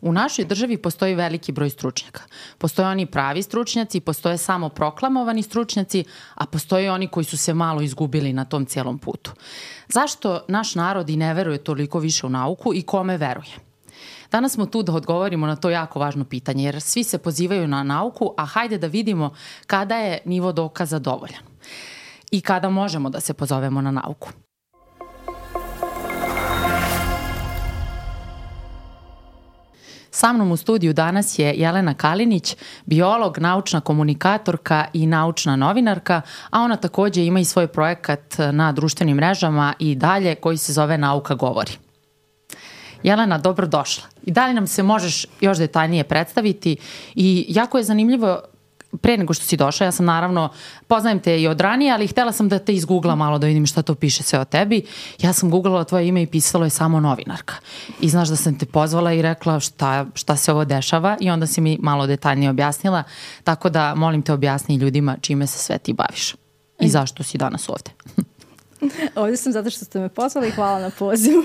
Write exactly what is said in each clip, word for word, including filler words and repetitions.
U našoj državi postoji veliki broj stručnjaka. Postoje oni pravi stručnjaci, postoje samo proklamovani stručnjaci, a postoje oni koji su se malo izgubili na tom cijelom putu. Zašto naš narod i ne veruje toliko više u nauku i kome veruje? Danas smo tu da odgovorimo na to jako važno pitanje, jer svi se pozivaju na nauku, a hajde da vidimo kada je nivo dokaza dovoljan i kada možemo da se pozovemo na nauku. Sa mnom u studiju danas je Jelena Kalinić, biolog, naučna komunikatorka i naučna novinarka, a ona takođe ima i svoj projekat na društvenim mrežama i dalje koji se zove Nauka govori. Jelena, dobrodošla. I da li nam se možeš još detaljnije predstaviti? I jako je zanimljivo, pre nego što si došla, ja sam naravno, poznajem te i od ranije, ali htela sam da te izgooglam malo da vidim šta to piše sve o tebi. Ja sam googlala tvoje ime i pisalo je samo novinarka. I znaš da sam te pozvala i rekla šta, šta se ovo dešava i onda si mi malo detaljnije objasnila. Tako da molim te objasni ljudima čime se sve ti baviš i zašto si danas ovde. Ovdje sam zato što ste me pozvali i hvala na pozivu,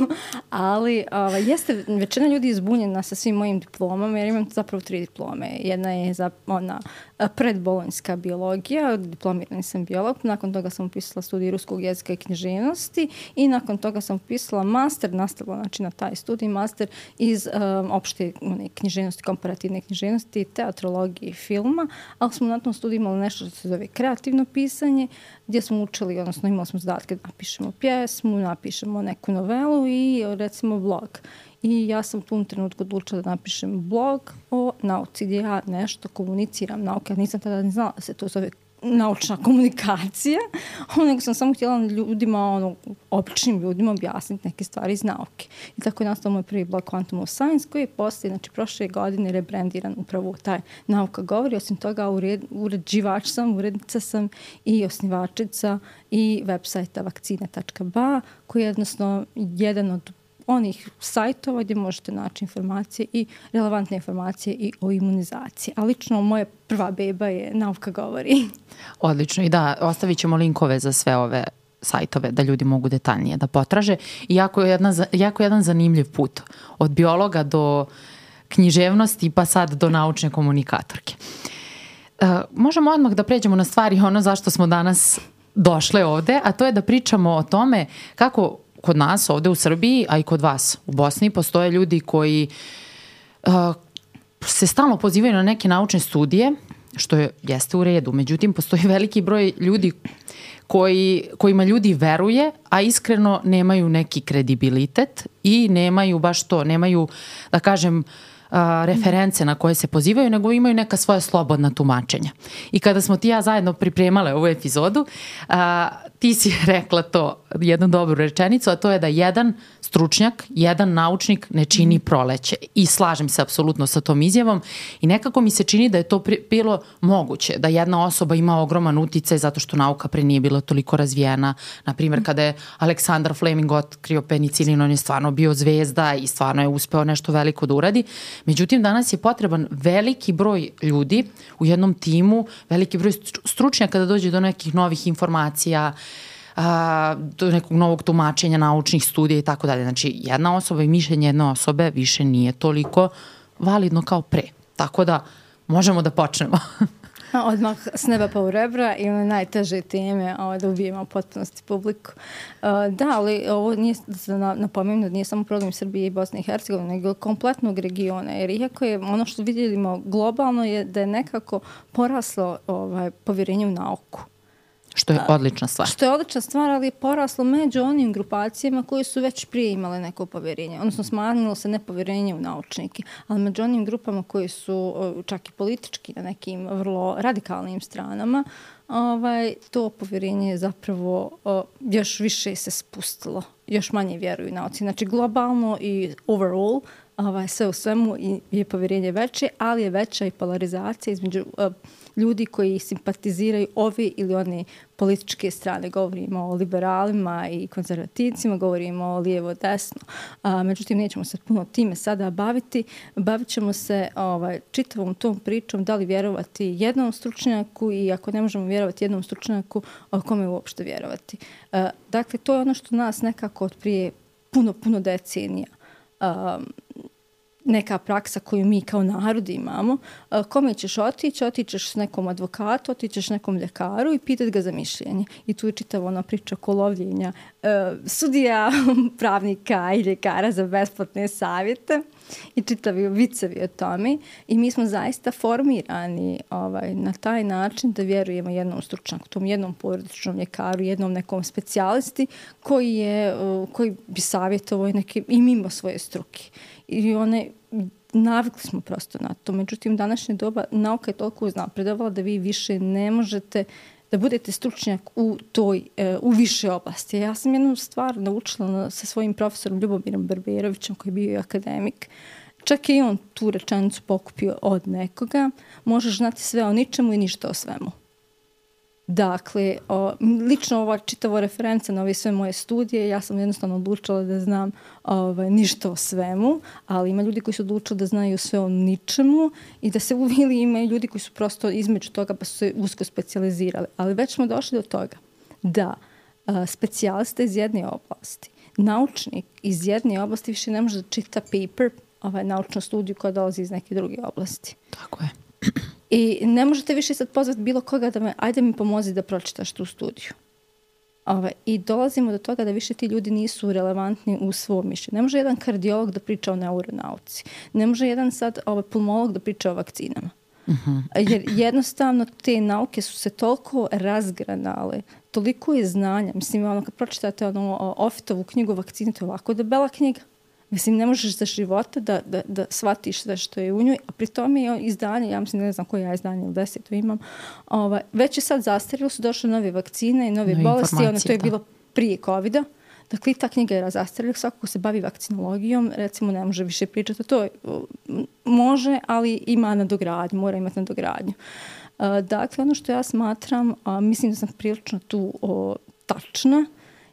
ali ovaj, jeste većina ljudi izbunjena sa svim mojim diplomama, jer imam zapravo tri diplome. Jedna je za, ona predbolonjska biologija, diplomirani sam biolog, nakon toga sam upisala studij ruskog jezika i književnosti i nakon toga sam upisala master, nastavila znači na taj studij, master iz um, opšte one, književnosti, komparativne književnosti, teatrologije i filma, ali smo na tom studiju imali nešto što se zove kreativno pisanje, gdje smo učili, odnosno imali smo zadatke da napišemo pjesmu, napišemo neku novelu i recimo blog. I ja sam u tom trenutku odlučila da napišem blog o nauci gdje ja nešto komuniciram nauke. Ja nisam tada ni znala da se to zove naučna komunikacija, nego sam samo htjela ljudima, ono, običnim ljudima objasniti neke stvari iz nauke. I tako je nastao moj prvi blog Quantum of Science, koji je poslije, znači prošle godine rebrandiran upravo taj Nauka govori. Osim toga, ured, uređivač sam, urednica sam i osnivačica i web sajta vakcine tačka ba, koji je jednostavno jedan od onih sajtova gdje možete naći informacije i relevantne informacije i o imunizaciji. A lično moja prva beba je Nauka govori. Odlično. I da, ostavit ćemo linkove za sve ove sajtove da ljudi mogu detaljnije da potraže. I jako je, jedna, jako je jedan zanimljiv put. Od biologa do književnosti pa sad do naučne komunikatorke. Uh, možemo odmah da pređemo na stvari ono zašto smo danas došle ovde, a to je da pričamo o tome kako kod nas ovde u Srbiji, a i kod vas u Bosni, postoje ljudi koji uh, se stalno pozivaju na neke naučne studije, što je, jeste u redu. Međutim, postoji veliki broj ljudi koji, kojima ljudi veruje, a iskreno nemaju neki kredibilitet i nemaju baš to, nemaju, da kažem, Uh, reference na koje se pozivaju, nego imaju neka svoja slobodna tumačenja. I kada smo ti ja zajedno pripremale ovu epizodu, uh, ti si rekla to, jednu dobru rečenicu, a to je da jedan stručnjak, jedan naučnik ne čini proleće. I slažem se apsolutno sa tom izjavom i nekako mi se čini da je to pri, bilo moguće, da jedna osoba ima ogroman uticaj zato što nauka pre nije bila toliko razvijena. Naprimjer, kada je Aleksandar Fleming otkrio penicilin, on je stvarno bio zvezda i stvarno je uspeo nešto veliko da uradi. Međutim, danas je potreban veliki broj ljudi u jednom timu, veliki broj stručnjaka da dođe do nekih novih informacija, a, do nekog novog tumačenja naučnih studija i tako dalje. Znači, jedna osoba i mišljenje jedne osobe više nije toliko validno kao pre. Tako da možemo da počnemo. Odmah s neba pa u rebra i one najteže teme ovo, da ubijemo potpunosti publiku. Uh, da, ali ovo nije, da napomenem da nije samo problem Srbije i Bosne i Hercegovine, nego kompletnog regiona. Jer iako je ono što vidimo globalno je da je nekako poraslo ovaj, povjerenje u nauku. Što je odlična stvar. Što je odlična stvar, ali je poraslo među onim grupacijama koji su već prije imale neko povjerenje. Odnosno, smanjilo se nepovjerenje u naučnike. Ali među onim grupama koji su čak i politički na nekim vrlo radikalnim stranama, ovaj, to povjerenje je zapravo o, još više se spustilo. Još manje vjeruju nauci. Znači, globalno i overall, ovaj, sve u svemu je povjerenje veće, ali je veća i polarizacija između uh, ljudi koji simpatiziraju ove ili one političke strane. Govorimo o liberalima i konzervativcima, govorimo o lijevo-desno. A, međutim, nećemo se puno time sada baviti. Bavit ćemo se ovaj, čitavom tom pričom da li vjerovati jednom stručnjaku i ako ne možemo vjerovati jednom stručnjaku, o kome uopšte vjerovati. A, dakle, to je ono što nas nekako od prije puno, puno decenija um, neka praksa koju mi kao narod imamo, uh, kome ćeš otići, otićeš s nekom advokatu, otićeš nekom ljekaru i pitati ga za mišljenje. I tu je čitava ona priča oko lovljenja uh, sudija, pravnika i ljekara za besplatne savjete i čitavi vicevi o tome. I mi smo zaista formirani ovaj, na taj način da vjerujemo jednom stručnjaku, tom jednom porodičnom ljekaru, jednom nekom specijalisti koji, je, uh, koji bi savjetovao neke, i mimo svoje struke. I one, navikli smo prosto na to. Međutim, u današnje doba nauka je toliko uznapredovala da vi više ne možete da budete stručnjak u toj, u više oblasti. Ja sam jednu stvar naučila sa svojim profesorom Ljubomirom Barberovićem, koji je bio akademik. Čak i on tu rečenicu pokupio od nekoga. Možeš znati sve o ničemu i ništa o svemu. Dakle, o, lično ova čitava referenca na ove sve moje studije, ja sam jednostavno odlučila da znam ovaj, ništa o svemu, ali ima ljudi koji su odlučili da znaju sve o ničemu i da se uvili, ima i ljudi koji su prosto između toga pa su se usko specijalizirali. Ali već smo došli do toga da a, specijalista iz jedne oblasti, naučnik iz jedne oblasti više ne može da čita paper, ovaj, naučnu studiju koja dolazi iz neke druge oblasti. Tako je. I ne možete više sad pozvati bilo koga da me, ajde mi pomozi da pročitaš tu studiju. Ove, I dolazimo do toga da više ti ljudi nisu relevantni u svom mišljenju. Ne može jedan kardiolog da priča o neuronauci. Ne može jedan sad ovaj, pulmolog da priča o vakcinama. Uh-huh. Jer jednostavno te nauke su se toliko razgranale, toliko je znanja. Mislim, ono, kad pročitate ono, Offitovu knjigu vakcine, to je ovako debela knjiga. Mislim, ne možeš za života da, da, da shvatiš sve što je u njoj, a pri tome je izdanje, ja mislim, ne znam koje ja izdanje ili deseto imam, ovaj, već je sad zastarilo, su došle nove vakcine i nove no, bolesti, ono to je da. bilo prije covida. Dakle, i ta knjiga je zastarila, svako ko se bavi vakcinologijom, recimo, ne može više pričati o to. Može, ali ima nadogradnju, mora imati nadogradnju. Uh, dakle, ono što ja smatram, a mislim da sam prilično tu o, tačna,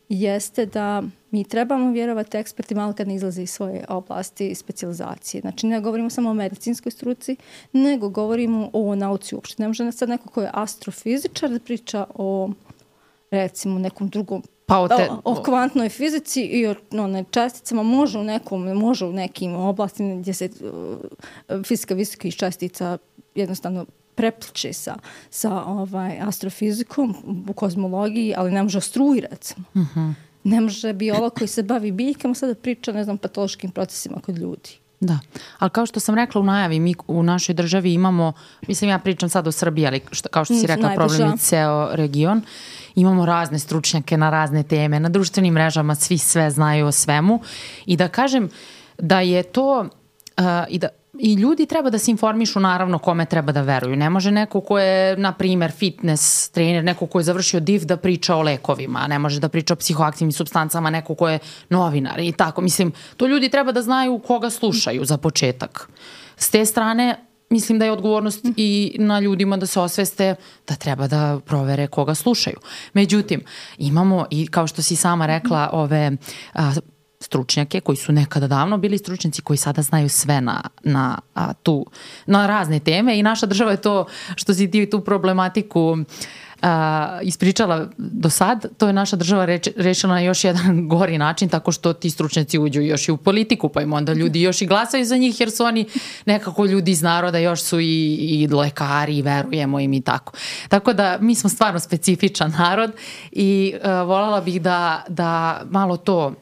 jeste da mi trebamo vjerovati ekspertima, ali kad ne izlaze iz svoje oblasti specijalizacije. Znači, ne govorimo samo o medicinskoj struci, nego govorimo o nauci uopšte. Ne može sad neko ko je astrofizičar da priča o, recimo, nekom drugom, pa o, te, o, o kvantnoj fizici i o no, česticama. Može u, nekom, može u nekim oblastima gdje se uh, fizika visokih čestica jednostavno prepliče sa, sa ovaj, astrofizikom u kozmologiji, ali ne može o struji, recimo. Uh-huh. Ne može biolog koji se bavi biljkama sada priča, ne znam, patološkim procesima kod ljudi. Da, ali kao što sam rekla u najavi, mi u našoj državi imamo, mislim ja pričam sad o Srbiji, ali što, kao što si rekla, Najbliža. problem je ceo region. Imamo razne stručnjake na razne teme, na društvenim mrežama svi sve znaju o svemu i da kažem da je to uh, i da I ljudi treba da se informišu naravno kome treba da veruju. Ne može neko ko je, na primjer, fitness trener, neko ko je završio D I V da priča o lekovima, ne može da priča o psihoaktivnim supstancama, neko ko je novinar i tako. Mislim, to ljudi treba da znaju koga slušaju za početak. S te strane, mislim da je odgovornost i na ljudima da se osveste da treba da provere koga slušaju. Međutim, imamo i, kao što si sama rekla, ove a, stručnjake koji su nekada davno bili stručnjaci koji sada znaju sve na, na, a, tu, na razne teme i naša država je to što si ti tu problematiku a, ispričala do sad, to je naša država reč, rešila na još jedan gori način tako što ti stručnjaci uđu još i u politiku pa im onda ljudi još i glasaju za njih jer su oni nekako ljudi iz naroda, još su i, i lekari i verujemo im i tako. Tako da mi smo stvarno specifičan narod i a, voljela bih da, da malo to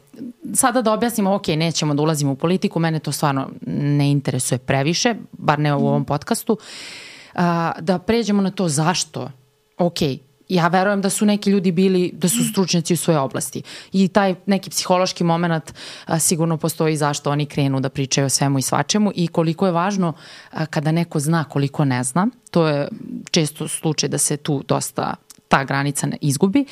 sada da objasnimo, ok, nećemo da ulazimo u politiku, mene to stvarno ne interesuje previše, bar ne u ovom podcastu, a, da pređemo na to zašto. Ok, ja verujem da su neki ljudi bili, da su stručnjaci u svojoj oblasti i taj neki psihološki moment a, sigurno postoji zašto oni krenu da pričaju o svemu i svačemu i koliko je važno a, kada neko zna koliko ne zna, to je često slučaj da se tu dosta ta granica ne izgubi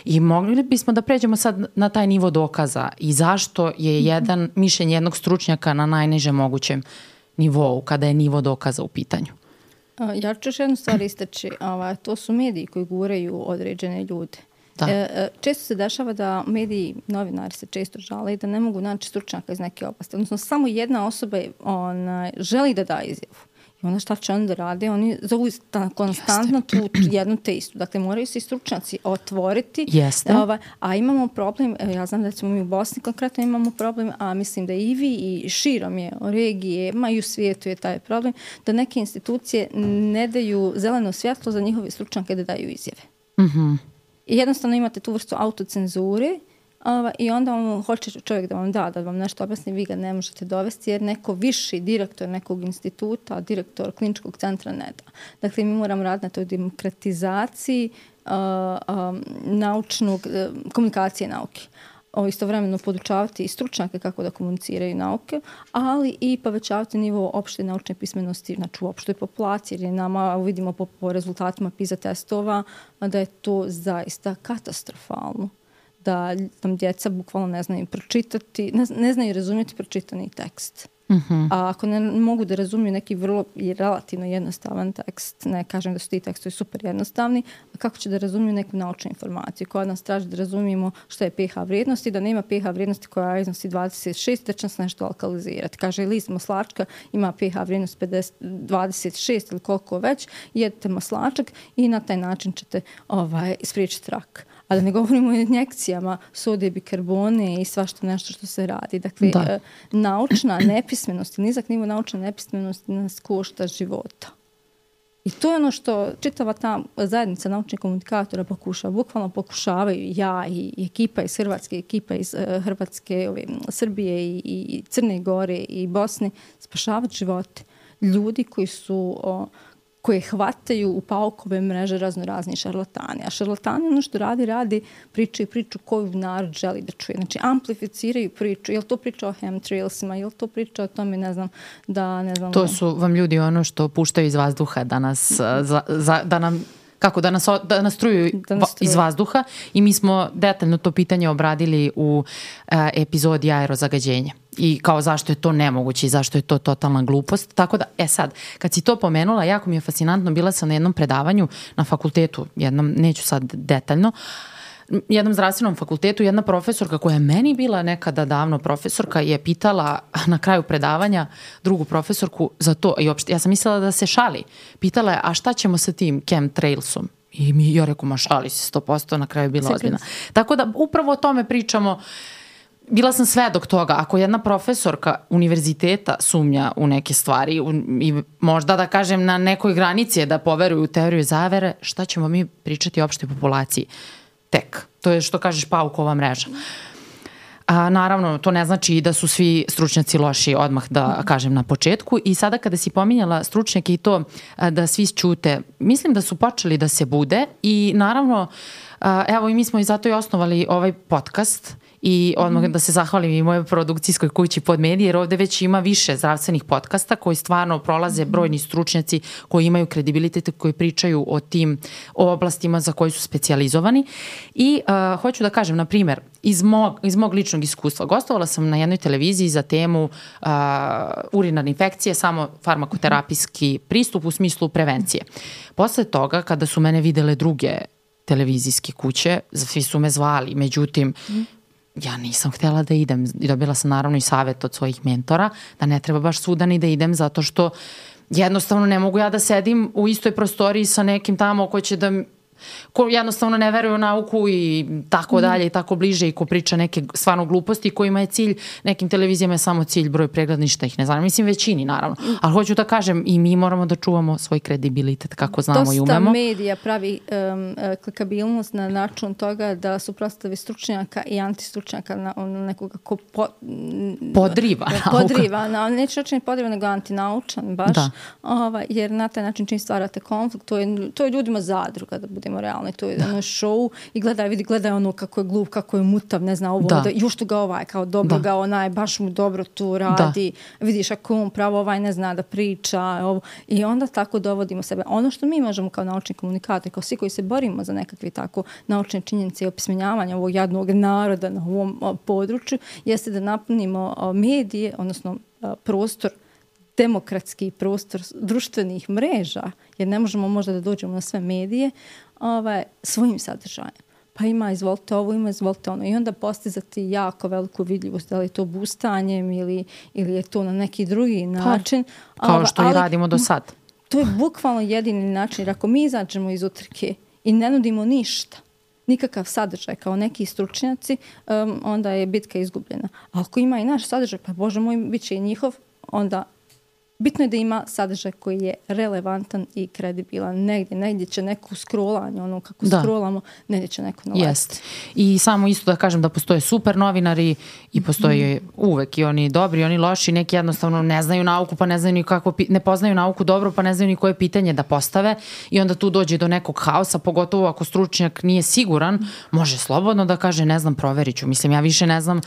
i mogli bismo da pređemo sad na taj nivo dokaza i zašto je jedan mišljenje jednog stručnjaka na najnižem mogućem nivou kada je nivo dokaza u pitanju. Ja ću još jednu stvar istaći, to su mediji koji guraju određene ljude. Da. Često se dešava da mediji, novinari se često žale i da ne mogu naći stručnjaka iz neke oblasti. Odnosno, samo jedna osoba ona, želi da da izjavu. I onda šta će oni da rade? Oni zovu konstantno tu, tu jednu te istu. Dakle, moraju se i stručnjaci otvoriti. Jeste. Ova, a imamo problem, ja znam da smo mi u Bosni konkretno imamo problem, a mislim da i vi i širom je o regije, ma i u svijetu je taj problem, da neke institucije ne daju zeleno svjetlo za njihove stručnjake da daju izjave. Mhm. I jednostavno imate tu vrstu autocenzure. Ova, I onda on hoće čovjek da vam da, da vam nešto objasni, vi ga ne možete dovesti jer neko viši direktor nekog instituta, direktor kliničkog centra ne da. Dakle, mi moramo raditi na toj demokratizaciji uh, um, naučnog, uh, komunikacije nauke. O, istovremeno podučavati i stručnjake kako da komuniciraju nauke, ali i povećavati nivo opšte naučne pismenosti, znači u opštoj populaciji, jer nama vidimo po, po rezultatima PISA testova da je to zaista katastrofalno. Da tam djeca bukvalno ne znaju pročitati, ne, ne znaju razumjeti pročitani tekst. Uh-huh. A ako ne mogu da razumiju neki vrlo i relativno jednostavan tekst, ne kažem da su ti tekstovi super jednostavni, kako će da razumiju neku naučnu informaciju? Koja nas traži da razumijemo što je pH vrijednost i da nema pH vrijednosti koja iznosi dvadeset šest, da će nas nešto alkalizirati. Kaže, list maslačka ima pH vrijednost pedeset, dvadeset šest ili koliko već, jedete maslačak i na taj način ćete ovaj, spriječiti rak. A da ne govorimo o injekcijama, sodije, bikarbone i svašta nešto što se radi. Dakle, e, naučna nepismenost, nizak nivo naučne nepismenosti nas košta života. I to je ono što čitava ta zajednica naučnih komunikatora pokušava. Bukvalno pokušavaju ja i, i ekipa iz Hrvatske, ekipa iz uh, Hrvatske, ove, Srbije i, i Crne Gore i Bosne spašavati živote. Ljudi koji su... O, koje hvataju u paukove mreže razno razni šarlatani. A šarlatani ono što radi, radi pričaju priču koju narod želi da čuje. Znači, amplificiraju priču. Je li to priča o chemtrailsima? Je li to priča o tome, ne znam, da... Ne znam, to su vam ljudi ono što puštaju iz vazduha da nas... Za, za, da nam kako da nas, da nas truju da nas iz vazduha i mi smo detaljno to pitanje obradili u uh, epizodi aerozagađenja. I kao zašto je to nemoguće i zašto je to totalna glupost. Tako da, e sad, kad si to pomenula, jako mi je fascinantno, bila sam na jednom predavanju na fakultetu, jednom, neću sad detaljno, jednom zdravstvenom fakultetu, jedna profesorka koja je meni bila nekada davno profesorka je pitala na kraju predavanja drugu profesorku za to, i opšte, ja sam mislila da se šali, pitala je, a šta ćemo sa tim chemtrailsom? I mi, ja reku, ma šali se sto posto, na kraju je bila ozbiljna. Tako da upravo o tome pričamo. Bila sam svedok toga, ako jedna profesorka univerziteta sumnja u neke stvari u, i možda da kažem na nekoj granici je da poveruju u teoriju zavere, šta ćemo mi pričati o opštoj populaciji? Tek. To je što kažeš paukova mreža. A, naravno, to ne znači i da su svi stručnjaci loši, odmah da kažem na početku. I sada kada si pominjala stručnjake i to a, da svi ćute, mislim da su počeli da se bude i naravno, a, evo i mi smo i zato i osnovali ovaj podcast i odmah mm-hmm. da se zahvalim i mojoj produkcijskoj kući Podmedije, jer ovde već ima više zdravstvenih podcasta koji stvarno prolaze brojni stručnjaci koji imaju kredibilitet, koji pričaju o tim o oblastima za koji su specijalizovani. I uh, hoću da kažem, na primjer, iz mog, iz mog ličnog iskustva, gostovala sam na jednoj televiziji za temu uh, urinarne infekcije, samo farmakoterapijski pristup u smislu prevencije. Posle toga, kada su mene videle druge televizijske kuće, svi su me zvali, međutim, mm. ja nisam htjela da idem i dobila sam naravno i savjet od svojih mentora da ne treba baš svuda ni da idem zato što jednostavno ne mogu ja da sedim u istoj prostoriji sa nekim tamo ko će da ko jednostavno ne veruje u nauku i tako dalje i tako bliže i ko priča neke stvarno gluposti kojima je cilj, nekim televizijama je samo cilj broj pregleda, ništa ih ne znam. Mislim većini naravno. Ali hoću da kažem i mi moramo da čuvamo svoj kredibilitet kako znamo Dosta i umemo. Dosta medija pravi um, klikabilnost na način toga da suprotstavi stručnjaka i antistručnjaka na on, nekoga ko po, podriva. Podriva. Na, neću reći podriva nego antinaučan baš. Da. Ova, jer na taj način čim stvarate konflikt, to je, to je ljudima zadruga da bude realno, to je ono show i gledaj, vidi, gledaj ono kako je glup, kako je mutav, ne zna ovo, da. Da, juštu ga ovaj, kao dobro da. Ga onaj, baš mu dobro tu radi, da. Vidiš ako on pravo ovaj ne zna da priča ovo. I onda tako dovodimo sebe. Ono što mi možemo kao naučni komunikatori, kao svi koji se borimo za nekakve tako naučne činjenice i opismenjavanje ovog jadnog naroda na ovom o, području, jeste da napunimo o, medije, odnosno o, prostor demokratski prostor društvenih mreža, jer ne možemo možda da dođemo na sve medije, ovaj, svojim sadržajem. pa ima izvolite ovo, ima izvolite ono i onda postizati jako veliku vidljivost, da li je to bustanjem ili, ili je to na neki drugi način. Pa, kao što ali, i radimo do sad. To je bukvalno jedini način, jer ako mi izađemo iz utrke i ne nudimo ništa, nikakav sadržaj kao neki stručnjaci, um, onda je bitka izgubljena. A ako ima i naš sadržaj, pa Bože moj, bit će i njihov, onda bitno je da ima sadržaj koji je relevantan i kredibilan. Negdje, negdje će neko scrollanje, ono kako da. scrollamo, negdje će neko naletiti. Jest. I samo isto da kažem da postoje super novinari i postoje mm. uvek i oni dobri i oni loši, neki jednostavno ne znaju nauku, pa ne znaju ni kako, ne poznaju nauku dobro, pa ne znaju ni koje pitanje da postave i onda tu dođe do nekog haosa, pogotovo ako stručnjak nije siguran, mm. može slobodno da kaže ne znam, proverit ću. Mislim, ja više ne znam.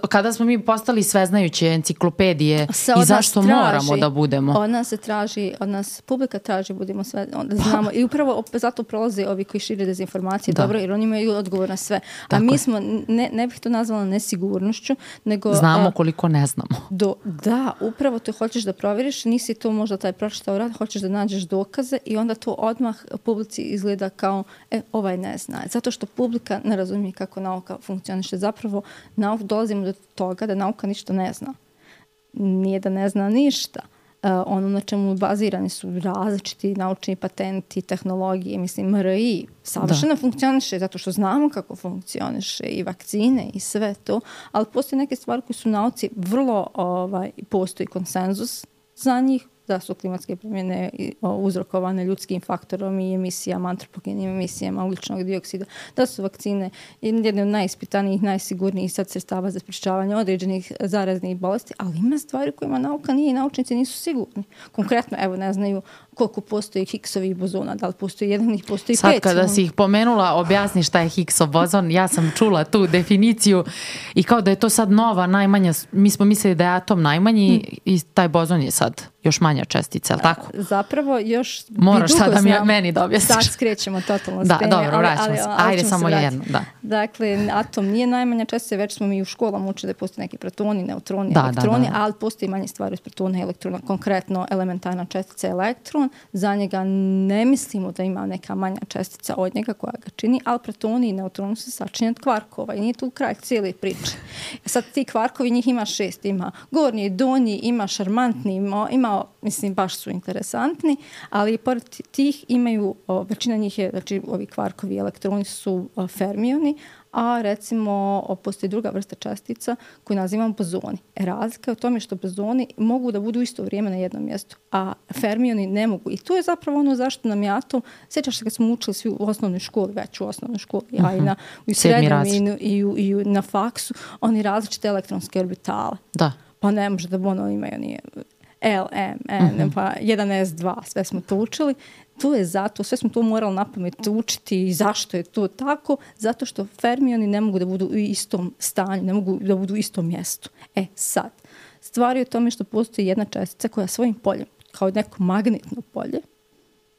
Kada smo mi postali sveznajuće enciklopedije i zašto moramo da budemo. Od nas se traži, od nas publika traži, budemo sve, onda znamo. I upravo zato prolaze ovi koji šire dezinformacije, da. dobro, jer oni imaju odgovor na sve. Tako A mi je. smo, ne, ne bih to nazvala nesigurnošću, nego... Znamo a, koliko ne znamo. Do, da, upravo to hoćeš da provjeriš, nisi to možda taj pročitao rad, hoćeš da nađeš dokaze i onda to odmah publici izgleda kao, e, ovaj ne zna. Zato što publika ne razumije kako nauka funkcioniše. Zapravo, nauk, dolazimo do toga da nauka ništa ne zna. Nije da ne zna ništa. Uh, ono na čemu bazirani su različiti naučni patenti, tehnologije, mislim M R I savršeno da. funkcioniše zato što znamo kako funkcioniše i vakcine i sve to, ali postoje neke stvari koje su u nauci vrlo, ovaj, postoji konsenzus za njih, da su klimatske promjene uzrokovane ljudskim faktorom i emisijama, antropogenim emisijama ugljičnog dioksida, da su vakcine jedne od najispitanijih, najsigurnijih sad sredstava za sprečavanje određenih zaraznih bolesti, ali ima stvari kojima nauka nije i naučnici nisu sigurni. Konkretno, evo, ne znaju koliko postoji Higgsovih bozona, da li postoji jedan, ih postoji sad, pet. Sad kada si ih pomenula, objasni šta je Higgsov bozon, ja sam čula tu definiciju i kao da je to sad nova, najmanja, mi smo mislili da je atom najmanji hmm. i taj bozon je sad još manja čestica, ali tako? Zapravo još moraš sad da mi, meni da objasniš. Sad skrećemo totalno s da, teme. Dobro, vraćamo se. Ajde samo se jedno. Da. Dakle, atom nije najmanja čestica, već smo mi u školama učili da postoje neki protoni, neutroni, da, elektroni, da, da. ali postoji manje stvari od protona i elektrona. Konkretno, elementarna čestica je elektron. Za njega ne mislimo da ima neka manja čestica od njega koja ga čini, ali protoni i neutroni su sačinjeni od kvarkova i nije tu kraj cijele priče. Sad ti kvarkovi, njih ima šest. Ima gornji, donji, ima šarmantni, ima, ima mislim, baš su interesantni, ali pored tih imaju, o, većina njih je, znači ovi kvarkovi elektroni su o, fermioni, a recimo o, postoji druga vrsta čestica koju nazivamo bozoni. E, razlika je u tome što bozoni mogu da budu isto vrijeme na jednom mjestu, a fermioni ne mogu. I to je zapravo ono zašto nam je atom, sjećaš se kad smo učili svi u osnovnoj školi, već u osnovnoj školi, uh-huh. a i na, u srednjem i, i, i, i na faksu, oni različite elektronske orbitale. Da. Pa ne može da ono imaju nije... L, M, N, uh-huh. pa jedan S dva, sve smo to učili. To je zato, sve smo to morali napamet učiti i zašto je to tako? Zato što fermioni ne mogu da budu u istom stanju, ne mogu da budu u istom mjestu. E sad, stvar je u tome što postoji jedna čestica koja svojim poljem, kao neko magnetno polje,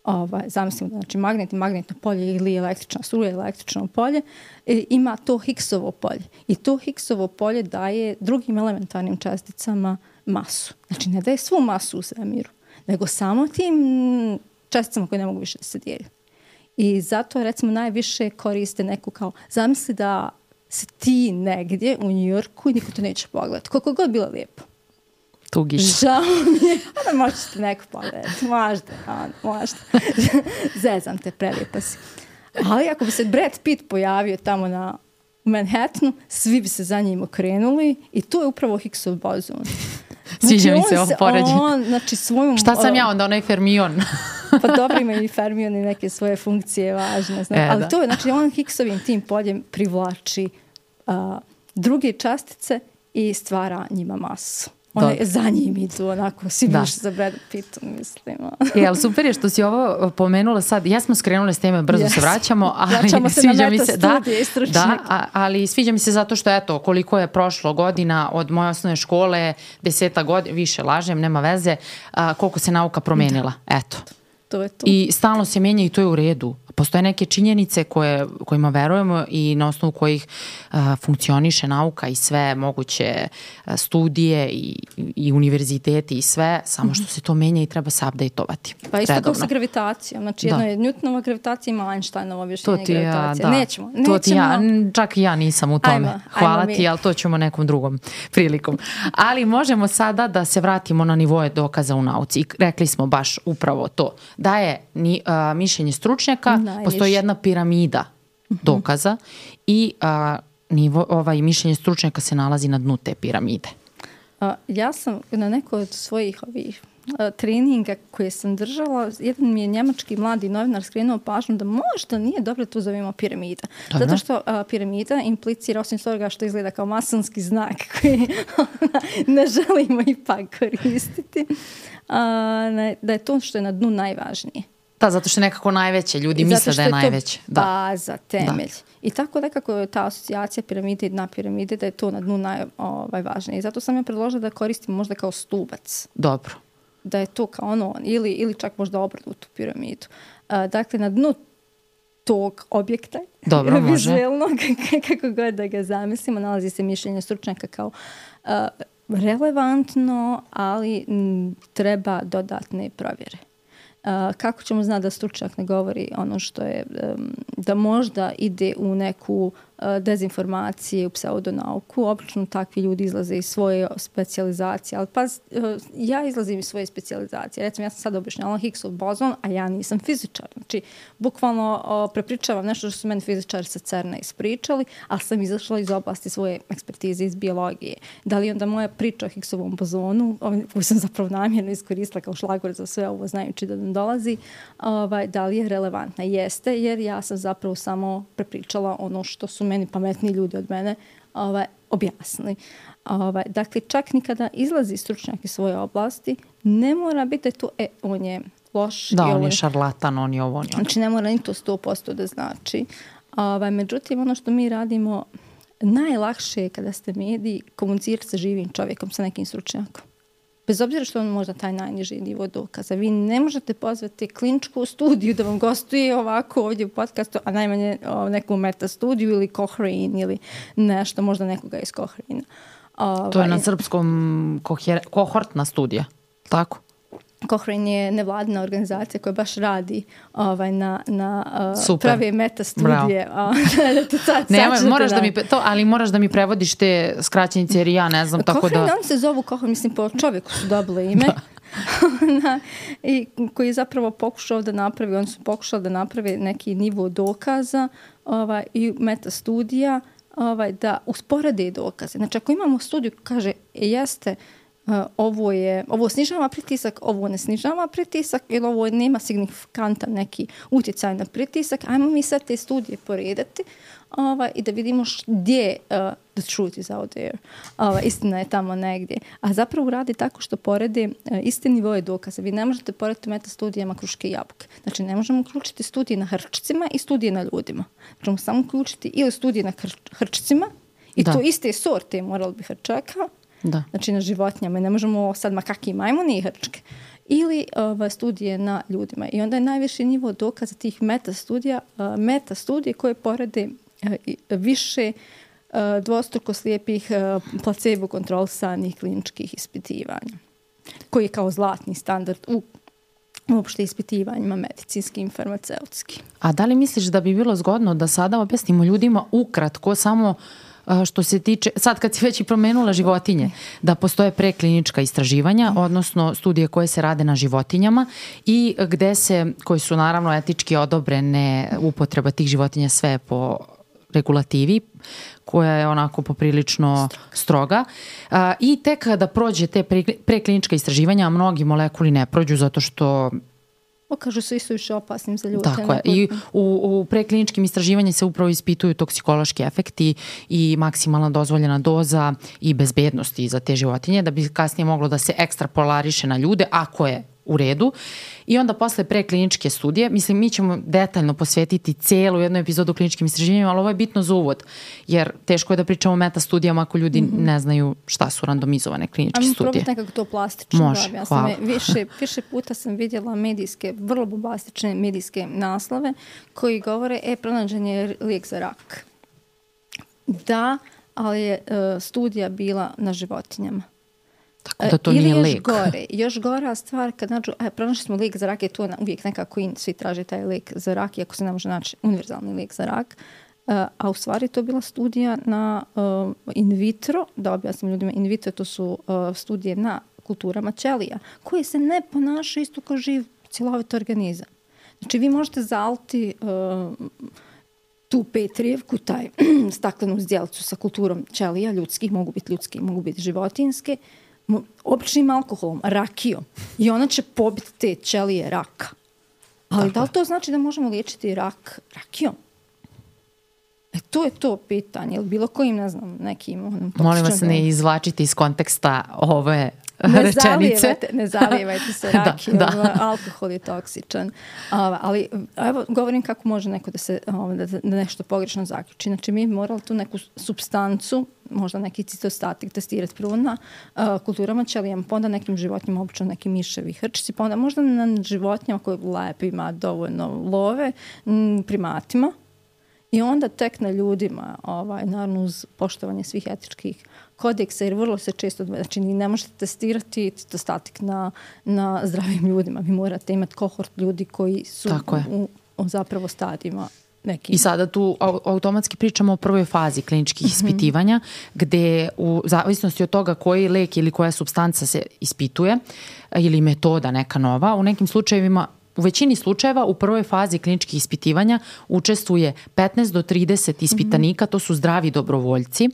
ovaj, zamislimo, znači magnet i magnetno polje ili električna struja, električno polje, e, ima to Higgsovo polje. I to Higgsovo polje daje drugim elementarnim česticama masu. Znači, ne daje svu masu u svemiru, nego samo tim česticama koje ne mogu više da se dijeli. I zato, recimo, najviše koriste neku kao, zamisli da si ti negdje u Njujorku i niko te neće pogledati. Koliko god bilo lijepo. Tugiš. Žao mi je. Onda možete neko pogledati. Možda, možda. Zezam te, prelijepa si. Ali ako bi se Brad Pitt pojavio tamo na Manhattanu, svi bi se za njim okrenuli i to je upravo Higgsov bozon. Sviđa znači, mi se ovo poređenje. Znači, svojom... Šta sam ja onda, onaj fermion? Pa dobro, ima i fermion i neke svoje funkcije važne. Znači, e, ali da. to je, znači, on Higgsovim tim poljem privlači uh, druge častice i stvara njima masu. One za njim idu, onako, svi biš za Brad Pittom, mislim. E, ali super je što si ovo pomenula sad. Ja smo skrenule s teme, brzo yes. se vraćamo. Ali vraćamo se sviđa na mi se, da, da, a, ali sviđa mi se zato što, eto, koliko je prošlo godina od moje osnovne škole, deseta godina, više lažem, nema veze, a, koliko se nauka promenila. Da. Eto. To je to. I stalno se menja i to je u redu. postoje neke činjenice koje, kojima verujemo i na osnovu kojih a, funkcioniše nauka i sve moguće a, studije i, i univerziteti i sve, samo što se to menja i treba se updateovati. Pa isto kao sa gravitacijom. Znači jedno da. je Newtonova gravitacija, ima Einsteinova objašnjenje gravitacije. Ja, da. Nećemo. nećemo. To ti ja, čak i ja nisam u tome. Ajmo, Hvala ajmo ti, ali to ćemo nekom drugom prilikom. Ali možemo sada da se vratimo na nivoje dokaza u nauci. I rekli smo baš upravo to. Da je ni, a, mišljenje stručnjaka, Najviše. postoji jedna piramida dokaza i a, nivo, ovaj, mišljenje stručnjaka se nalazi na dnu te piramide. A, ja sam na nekoj od svojih ovih a, treninga koje sam držala, jedan mi je njemački mladi novinar skrenuo pažnju da možda nije dobro to zovemo piramida. Dobro. Zato što a, piramida implicira, osim toga što izgleda kao masonski znak koji ne želimo ipak koristiti, a, ne, da je to što je na dnu najvažnije. Da, zato što je nekako najveće, ljudi misle da je, je najveće. Da, baza, temelj. Da. I tako nekako je ta asocijacija piramide i dna piramide, da je to na dnu najvažnije. I zato sam ja predložila da koristim možda kao stubac. Dobro. Da je to kao ono, ili, ili čak možda obrnutu piramidu. A, dakle, na dnu tog objekta, dobro, vizuelnog, kako god da ga zamislimo, nalazi se mišljenje stručnjaka kao a, relevantno, ali m, treba dodatne provjere. Uh, kako ćemo znati da stručnjak ne govori ono što je, um, da možda ide u neku uh, dezinformacije, u pseudonauku. Obično takvi ljudi izlaze iz svoje specijalizacije, ali pa uh, ja izlazim iz svoje specijalizacije. Recimo, ja sam sad objašnjala Higgsov bozon, a ja nisam fizičar. Znači, bukvalno uh, prepričavam nešto što su meni fizičari sa CERN-a ispričali, ali sam izašla iz oblasti svoje ekspertize iz biologije. Da li onda moja priča o Higgsovom bozonu, koju sam zapravo namjerno iskoristila kao šlagvort za sve ovo, znajući da nam dolazi, ovaj, da li je relevantna? Jeste, jer ja sam zapravo samo prepričala ono što su meni pametni ljudi od mene ovaj, objasnili. Ovaj, dakle, čak nikada izlazi stručnjak iz svoje oblasti, ne mora biti da to, e, on je loš. Da, on ovo je šarlatan, on je ovo, on je ono. Znači, ne mora ni to sto posto da znači. Ovaj, međutim, ono što mi radimo, najlakše je kada ste mediji komunicirati sa živim čovjekom, sa nekim stručnjakom. Bez obzira što on možda taj najniži nivo dokaza. Vi ne možete pozvati kliničku studiju da vam gostuje ovako ovdje u podcastu, a najmanje o, neku meta studiju ili Cochrane ili nešto, možda nekoga iz Cochrane. Ovaj, to je na srpskom koher, kohortna studija, tako? Cochrane je nevladina organizacija koja baš radi ovaj, na, na uh, prave meta studije. Nema, moraš da mi, to, ali moraš da mi prevodiš te skraćenice jer ja ne znam. Tako Cochrane, da... oni se zovu Cochrane, mislim po čovjeku su dobile ime. I koji je zapravo pokušao da napravi, oni su pokušali da naprave neki nivo dokaza ovaj, i meta studija ovaj, da usporede dokaze. Znači ako imamo studiju kaže jeste Uh, ovo je, ovo snižava pritisak, ovo ne snižava pritisak ili ovo nema signifikantan neki utjecaj na pritisak, ajmo mi sad te studije poredati ovaj, i da vidimo gdje uh, the truth is out there. Ovaj, istina je tamo negdje. A zapravo radi tako što porede uh, iste nivoje dokaza. Vi ne možete porediti meta studijama kruške i jabuke. Znači ne možemo uključiti studije na hrčcima i studije na ljudima. Možemo samo uključiti ili studije na hrč, hrčcima i da. To iste sorte morali bi hrčaka. Da. Znači na životinjama. Ne možemo sad makaki majmuni i hrčke. Ili uh, studije na ljudima. I onda je najviši nivo dokaza tih meta studija, uh, meta studije koje porede uh, više uh, dvostruko slijepih uh, placebo kontrolisanih kliničkih ispitivanja. Koji je kao zlatni standard u uopšte ispitivanjima medicinskim, farmaceutskim. A da li misliš da bi bilo zgodno da sada objasnimo ljudima ukratko samo što se tiče, sad kad si već i promenula životinje, da postoje preklinička istraživanja, odnosno studije koje se rade na životinjama i gde se, koji su naravno etički odobrene upotreba tih životinja sve po regulativi, koja je onako poprilično stroga. A, i tek kada prođe te preklinička istraživanja, mnogi molekuli ne prođu zato što pokažu se isto više opasnim za ljude. Tako je. I u, u prekliničkim istraživanjima se upravo ispituju toksikološki efekti i maksimalna dozvoljena doza i bezbednosti za te životinje, da bi kasnije moglo da se ekstrapolariše na ljude, ako je u redu. I onda posle prekliničke studije, mislim mi ćemo detaljno posvetiti cijelu jednu epizodu kliničkim istraživanjima, ali ovo je bitno za uvod, jer teško je da pričamo o meta studijama ako ljudi mm-hmm. ne znaju šta su randomizovane kliničke studije. studije. A mi probati nekako to plastično. Može, da, ja hvala. sam više, više puta sam vidjela medijske, vrlo bombastične medijske naslove koji govore, e, pronađen je lijek za rak. Da, ali je uh, studija bila na životinjama. Tako da to Ili nije još lijek. gore, još gora stvar, kad nađu, e, pronašli smo lijek za rak, je to na, uvijek nekako in, svi traže taj lijek za rak, iako se ne može naći univerzalni lijek za rak. Uh, a u stvari to je bila studija na uh, in vitro, da objasnim ljudima, in vitro to su uh, studije na kulturama ćelija, koje se ne ponašaju isto kao živ cjelovit organizam. Znači vi možete zaliti uh, tu petrijevku, taj staklenu zdjelicu sa kulturom ćelija, ljudskih, mogu biti ljudski, mogu biti životinske, običnim alkoholom, rakijom. I ona će pobiti te ćelije raka. Ali tako. Da li to znači da možemo liječiti rak rakijom? E, to je to pitanje. Ili bilo kojim, ne znam, nekim... Onom, molim vas ne izvlačiti iz konteksta ove ne rečenice. Zalijevajte, ne zalijevajte se rakijom, da, da. Alkohol je toksičan. A, ali evo, govorim kako može neko da se da, da nešto pogrešno zaključi. Znači, mi morali tu neku supstancu, možda neki citostatik testirati prvo na uh, kulturama ćelijama, pa onda nekim životinjama, obično neki miševi, hrčici, pa onda možda na životinjama koje lepo ima dovoljno love, m, primatima. I onda tek na ljudima, ovaj, naravno uz poštovanje svih etičkih kodeksa, jer vrlo se često, znači ne možete testirati citostatik na, na zdravim ljudima. Vi morate imati kohort ljudi koji su u, u zapravo stadijima nekim. I sada tu automatski pričamo o prvoj fazi kliničkih mm-hmm. ispitivanja, gde u zavisnosti od toga koji lek ili koja supstanca se ispituje ili metoda neka nova, u nekim slučajevima u većini slučajeva u prvoj fazi kliničkih ispitivanja učestvuje petnaest do trideset ispitanika, to su zdravi dobrovoljci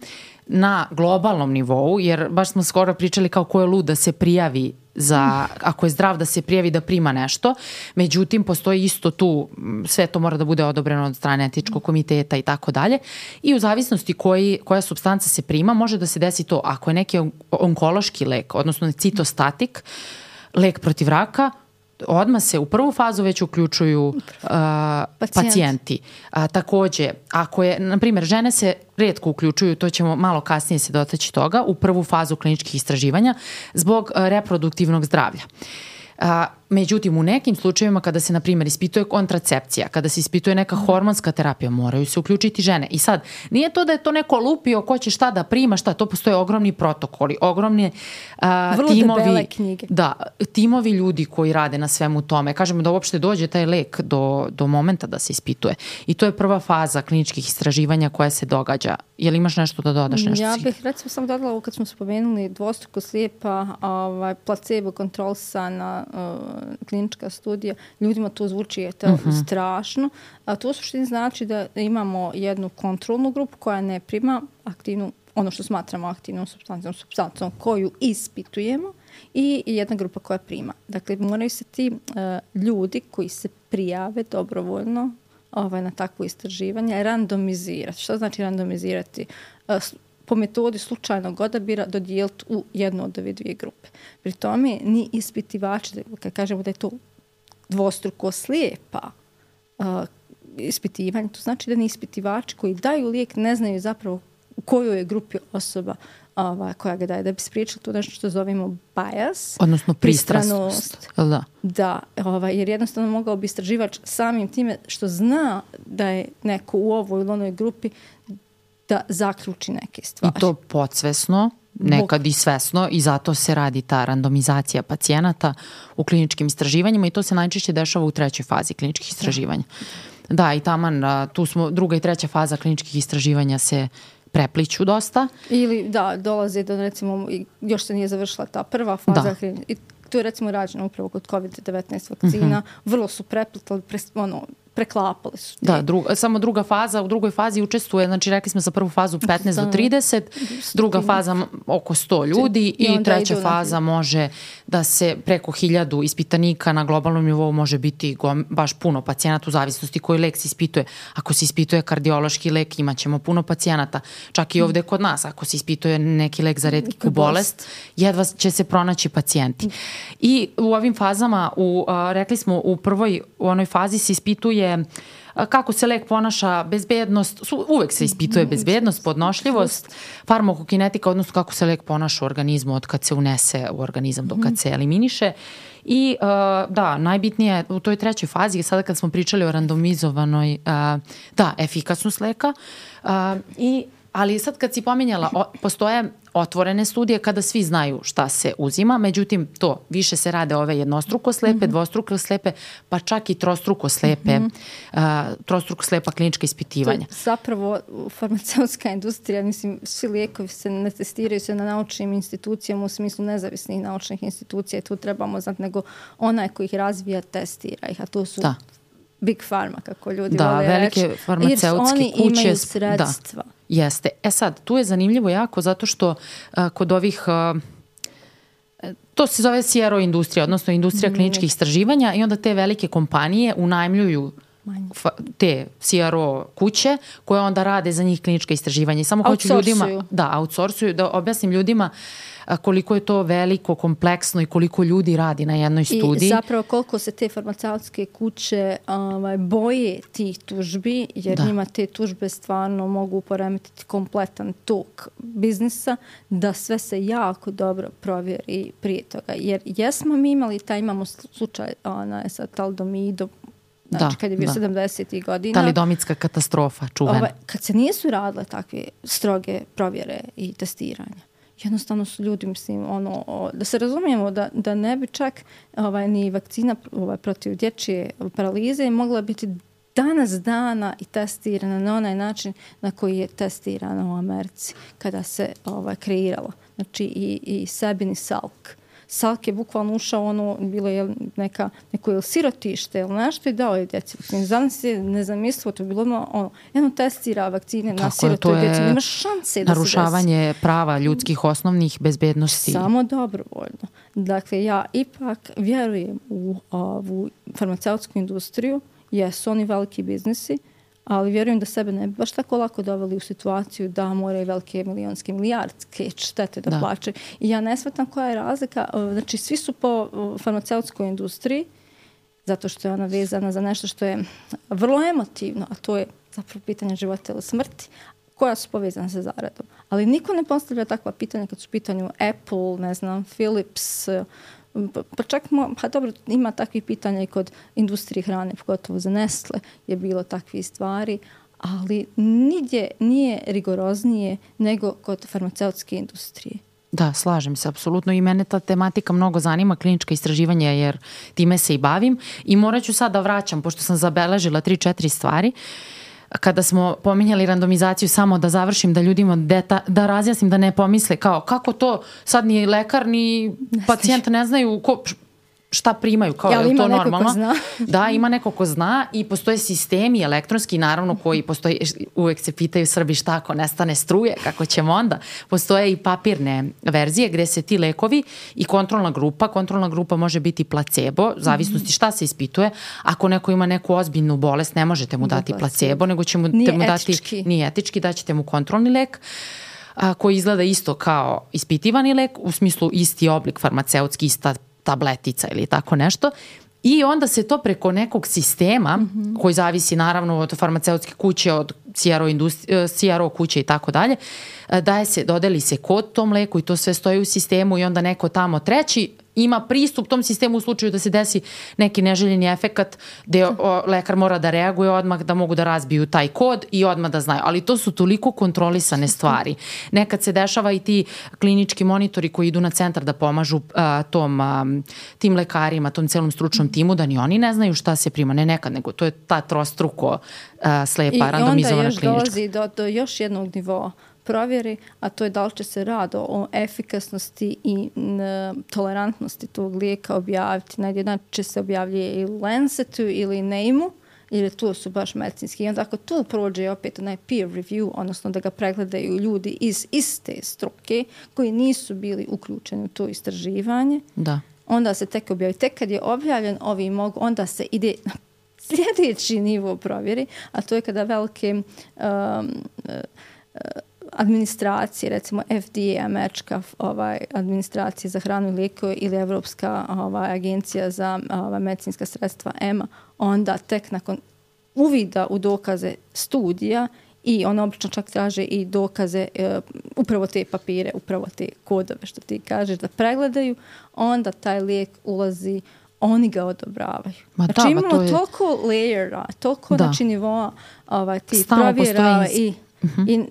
na globalnom nivou, jer baš smo skoro pričali kao ko je lud da se prijavi za, ako je zdrav da se prijavi da prima nešto, međutim postoji isto tu, sve to mora da bude odobreno od strane etičkog komiteta i tako dalje, i u zavisnosti koji, koja supstanca se prima može da se desi to, ako je neki onkološki lek, odnosno citostatik, lek protiv raka, odmah se u prvu fazu već uključuju uh, Pacijent. pacijenti. A, takođe, ako je, na primjer, žene se rijetko uključuju, to ćemo malo kasnije se dotaći toga, u prvu fazu kliničkih istraživanja zbog uh, reproduktivnog zdravlja. A, međutim, u nekim slučajevima kada se, na primjer, ispituje kontracepcija, kada se ispituje neka hormonska terapija, moraju se uključiti žene. I sad, nije to da je to neko lupio ko će šta da prima, šta, to postoje ogromni protokoli, ogromni a, vrlo timovi, debele knjige. Da, timovi ljudi koji rade na svemu tome. Kažemo da uopšte dođe taj lek do, do momenta da se ispituje. I to je prva faza kliničkih istraživanja koja se događa. Je li imaš nešto da dodaš? Nešto ja si... bih recimo samo dodala ovo kad smo spomenuli dvostruko slijepa ovaj, placebo kontrolisana uh, klinička studija, ljudima to zvuči je to uh-huh. strašno. A to u suštini znači da imamo jednu kontrolnu grupu koja ne prima aktivnu, ono što smatramo aktivnom supstancom, supstancom koju ispitujemo, i jedna grupa koja prima. Dakle, moraju se ti uh, ljudi koji se prijave dobrovoljno ovaj, na takvo istraživanje randomizirati. Što znači randomizirati? Uh, po metodi slučajnog odabira dodijeliti u jednu od ove dvije grupe. Pri tome ni ispitivači, kad kažemo da je to dvostruko slijepa uh, ispitivanje, to znači da ni ispitivači koji daju lijek ne znaju zapravo u kojoj je grupi osoba ova, koja ga daje. Da bi spriječili to nešto što zovemo bias. Odnosno pristranost. Da. Da, ovaj, jer jednostavno mogao bi istraživač samim time što zna da je neko u ovoj ili onoj grupi da zaključi neke stvari. I to podsvesno, nekad i svesno, i zato se radi ta randomizacija pacijenata u kliničkim istraživanjima i to se najčešće dešava u trećoj fazi kliničkih istraživanja. Da, da i taman, tu smo, druga i treća faza kliničkih istraživanja se prepliću dosta. Ili da, dolaze do recimo, još se nije završila ta prva faza, da. I to je recimo rađeno upravo kod kovid devetnaest vakcina, mm-hmm. vrlo su preplitali, pres, ono, preklapali su. Da, druga, samo druga faza, u drugoj fazi učestvuje, znači rekli smo za prvu fazu petnaest do trideset, druga faza oko sto ljudi i, i treća faza može da se preko hiljadu ispitanika na globalnom nivou može biti gom, baš puno pacijenata u zavisnosti koji lek se ispituje. Ako se ispituje kardiološki lek, imat ćemo puno pacijenata. Čak i ovde kod nas, ako se ispituje neki lek za retku bolest, jedva će se pronaći pacijenti. I u ovim fazama, u, a, rekli smo u prvoj, u onoj fazi se ispituje kako se lek ponaša, bezbednost, uvek se ispituje bezbednost, podnošljivost, farmakokinetika, odnosno kako se lek ponaša u organizmu od kad se unese u organizam do kad se eliminiše. I uh, da, najbitnije u toj trećoj fazi, sada kad smo pričali o randomizovanoj, uh, da, efikasnost leka, uh, i ali sad kad si pominjala, o, postoje otvorene studije kada svi znaju šta se uzima, međutim to više se rade ove jednostruko slepe, mm-hmm. dvostruko slepe, pa čak i trostruko slepe, mm-hmm. uh, trostruko slepa klinička ispitivanja. To je zapravo farmaceutska industrija, mislim, svi lijekovi se ne testiraju se na naučnim institucijama u smislu nezavisnih naučnih institucija i tu trebamo znati, nego onaj koji ih razvija testira ih, a to su da. Big Pharma, kako ljudi da, vole reći. Da, velike farmaceutske oni kuće. Oni imaju sredstva. Da. Jeste. E sad, tu je zanimljivo jako zato što uh, kod ovih, uh, to se zove C R O industrija, odnosno industrija kliničkih istraživanja i onda te velike kompanije unajmljuju fa, te C R O kuće koje onda rade za njih klinička istraživanja. I samo hoću ljudima, da, outsourcuju, da objasnim ljudima koliko je to veliko, kompleksno i koliko ljudi radi na jednoj studiji. I zapravo koliko se te farmaceutske kuće ovaj, boje tih tužbi, jer da. njima te tužbe stvarno mogu poremetiti kompletan tok biznisa, da sve se jako dobro provjeri prije toga. Jer jesmo mi imali, taj imamo slučaj ona, sa taldomidom, znači da, kad je bio sedamdesetih godina. Talidomitska katastrofa, čuvena. Ovaj, kad se nisu radile takve stroge provjere i testiranja, jednostavno su ljudi, mislim, ono, da se razumijemo da, da ne bi čak ovaj, ni vakcina ovaj, protiv dječje paralize mogla biti danas dana i testirana na onaj način na koji je testirana u Americi kada se ovaj, kreirala. Znači i, i Sabin i Salk. Salk je bukvalno ušao, ono, bilo je neka, neko je sirotište ili nešto i dao je djeci. Zanim se nezamislivo, to je bilo ono, jedno testira vakcine na sirotoj djeci, nema šanse da narušavanje prava ljudskih osnovnih bezbednosti. Samo dobrovoljno. Dakle, ja ipak vjerujem u ovu farmaceutsku industriju, jesu oni veliki biznisi, ali vjerujem da sebe ne bi baš tako lako doveli u situaciju da moraju velike milionske, milijardske štete da, da. plaćaju. I ja ne shvatam koja je razlika. Znači, svi su po farmaceutskoj industriji, zato što je ona vezana za nešto što je vrlo emotivno, a to je zapravo pitanje života ili smrti, koja su povezane sa zaradom. Ali niko ne postavlja takva pitanja kad su u pitanju Apple, ne znam, Philips, pa čak, pa dobro, ima takvih pitanja i kod industrije hrane, pogotovo za Nestle je bilo takvih stvari, ali nigdje nije rigoroznije nego kod farmaceutske industrije. Da, slažem se, apsolutno. I mene ta tematika mnogo zanima, klinička istraživanja, jer time se i bavim. I morat ću sad da vraćam, pošto sam zabeležila tri, četiri stvari. Kada smo pominjali randomizaciju, samo da završim, da ljudima deta, da razjasnim, da ne pomisle kao kako to sad ni lekar ni pacijent ne znaju ko, šta primaju, kao ja, je to normalno. Da, ima neko ko zna i postoje sistemi elektronski, naravno, koji postoji, uvek se pitaju Srbi šta ako nestane struje, kako ćemo onda. Postoje i papirne verzije gde se ti lekovi i kontrolna grupa, kontrolna grupa može biti placebo, zavisnosti šta se ispituje. Ako neko ima neku ozbiljnu bolest, ne možete mu dati placebo, nego će mu, nije mu dati, etički. Nije etički, daćete mu kontrolni lek, a, koji izgleda isto kao ispitivani lek, u smislu isti oblik farmaceutski, ista tabletica ili tako nešto. I onda se to preko nekog sistema, mm-hmm. koji zavisi naravno od farmaceutske kuće, od C R O, industri- C R O kuće i tako dalje, daje se, dodeli se kod tom leku i to sve stoji u sistemu i onda neko tamo treći ima pristup tom sistemu u slučaju da se desi neki neželjeni efekat gde o, lekar mora da reaguje odmah, da mogu da razbiju taj kod i odmah da znaju. Ali to su toliko kontrolisane stvari. Nekad se dešava i ti klinički monitori koji idu na centar da pomažu a, tom, a, tim lekarima, tom celom stručnom timu, da ni oni ne znaju šta se prima. Ne nekad, nego to je ta trostruko a, slepa, randomizovana klinička. I onda još dolazi do, do još jednog nivoa provjeri, a to je da li će se rad o efikasnosti i n, tolerantnosti tog lijeka objaviti. Najjedno će se objavljuje i Lancetu ili Name-u, jer to su baš medicinski. I onda ako to prođe opet onaj peer review, odnosno da ga pregledaju ljudi iz iste struke koji nisu bili uključeni u to istraživanje, da. onda se tek objavi. Tek kad je objavljen ovi mogu, onda se ide na sljedeći nivo provjeri, a to je kada velike um, uh, administracije, recimo F D A, američka ovaj, administracija za hranu i lijekove ili Evropska ovaj, agencija za ovaj, medicinska sredstva E M A, onda tek nakon uvida u dokaze studija i on obično čak traže i dokaze, e, upravo te papire, upravo te kodove što ti kažeš da pregledaju, onda taj lijek ulazi, oni ga odobravaju. Ma znači da, imamo to je... toliko layera, toliko znači nivoa ovaj, ti Stalno provjera i, uh-huh. i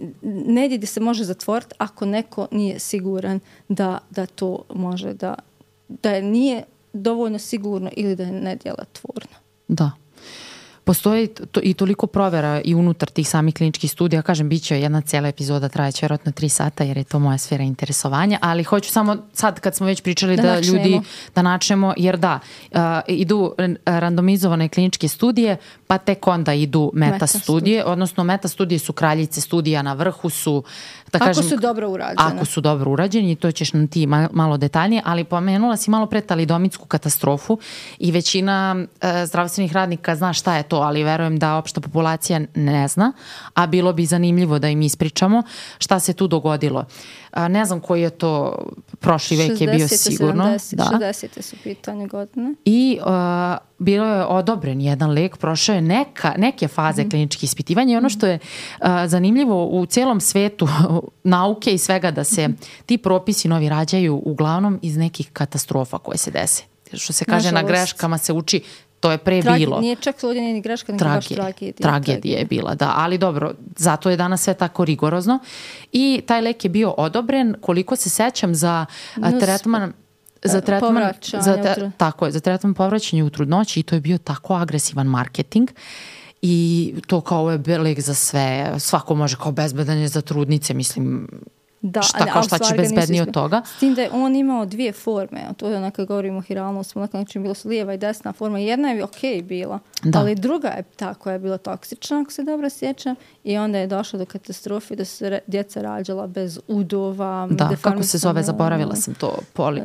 negdje gdje se može zatvoriti ako neko nije siguran da, da to može, da, da je nije dovoljno sigurno ili da je nedjelotvorno. Da. Postoji to, i toliko provjera i unutar tih samih kliničkih studija. Kažem, bit će jedna cijela epizoda, trajeće vjerojatno tri sata jer je to moja sfera interesovanja, ali hoću samo sad kad smo već pričali da, da načnemo. ljudi da načnemo, jer da, uh, idu randomizovane kliničke studije, pa tek onda idu meta studije, odnosno meta studije su kraljice studija, na vrhu su, da ako kažem, su dobro urađene. Ako su dobro urađeni, i to ćeš nam ti malo detaljnije, ali pomenula si malo pre talidomitsku katastrofu i većina uh, zdravstvenih radnika zna šta je to, ali verujem da opšta populacija ne zna, a bilo bi zanimljivo da im ispričamo šta se tu dogodilo. A, ne znam koji je to, prošli vek je bio sigurno. šezdeset, da. šezdeset su pitanje godine. I a, bilo je odobren jedan lek, prošao je neka, neke faze mm. kliničkih ispitivanja i ono što je a, zanimljivo u cijelom svetu nauke i svega da se ti propisi novi rađaju uglavnom iz nekih katastrofa koje se dese. Što se kaže, Nažalost. na greškama se uči. To je pre Trage, bilo. Nije čak ovdje ni greška, nego baš tragedija. Tragedija je bila, da. Ali dobro, zato je danas sve tako rigorozno. I taj lek je bio odobren, koliko se sećam, za Nus, tretman... Za tretman, za te, tako je, za tretman povraćanja u trudnoći i to je bio tako agresivan marketing i to kao ovo je lek za sve, svako može kao bezbedan je za trudnice, mislim... Da, šta, kao šta će bezbednije od toga. S tim da je on imao dvije forme, a to je onako govorimo o hiralnosti, onako znači bilo su lijeva i desna forma. Jedna je ok bila, da. Ali druga je ta koja je bila toksična, ako se dobro sjećam, i onda je došlo do katastrofe da su djeca rađala bez udova. Da, kako se zove, zaboravila sam to. Poli...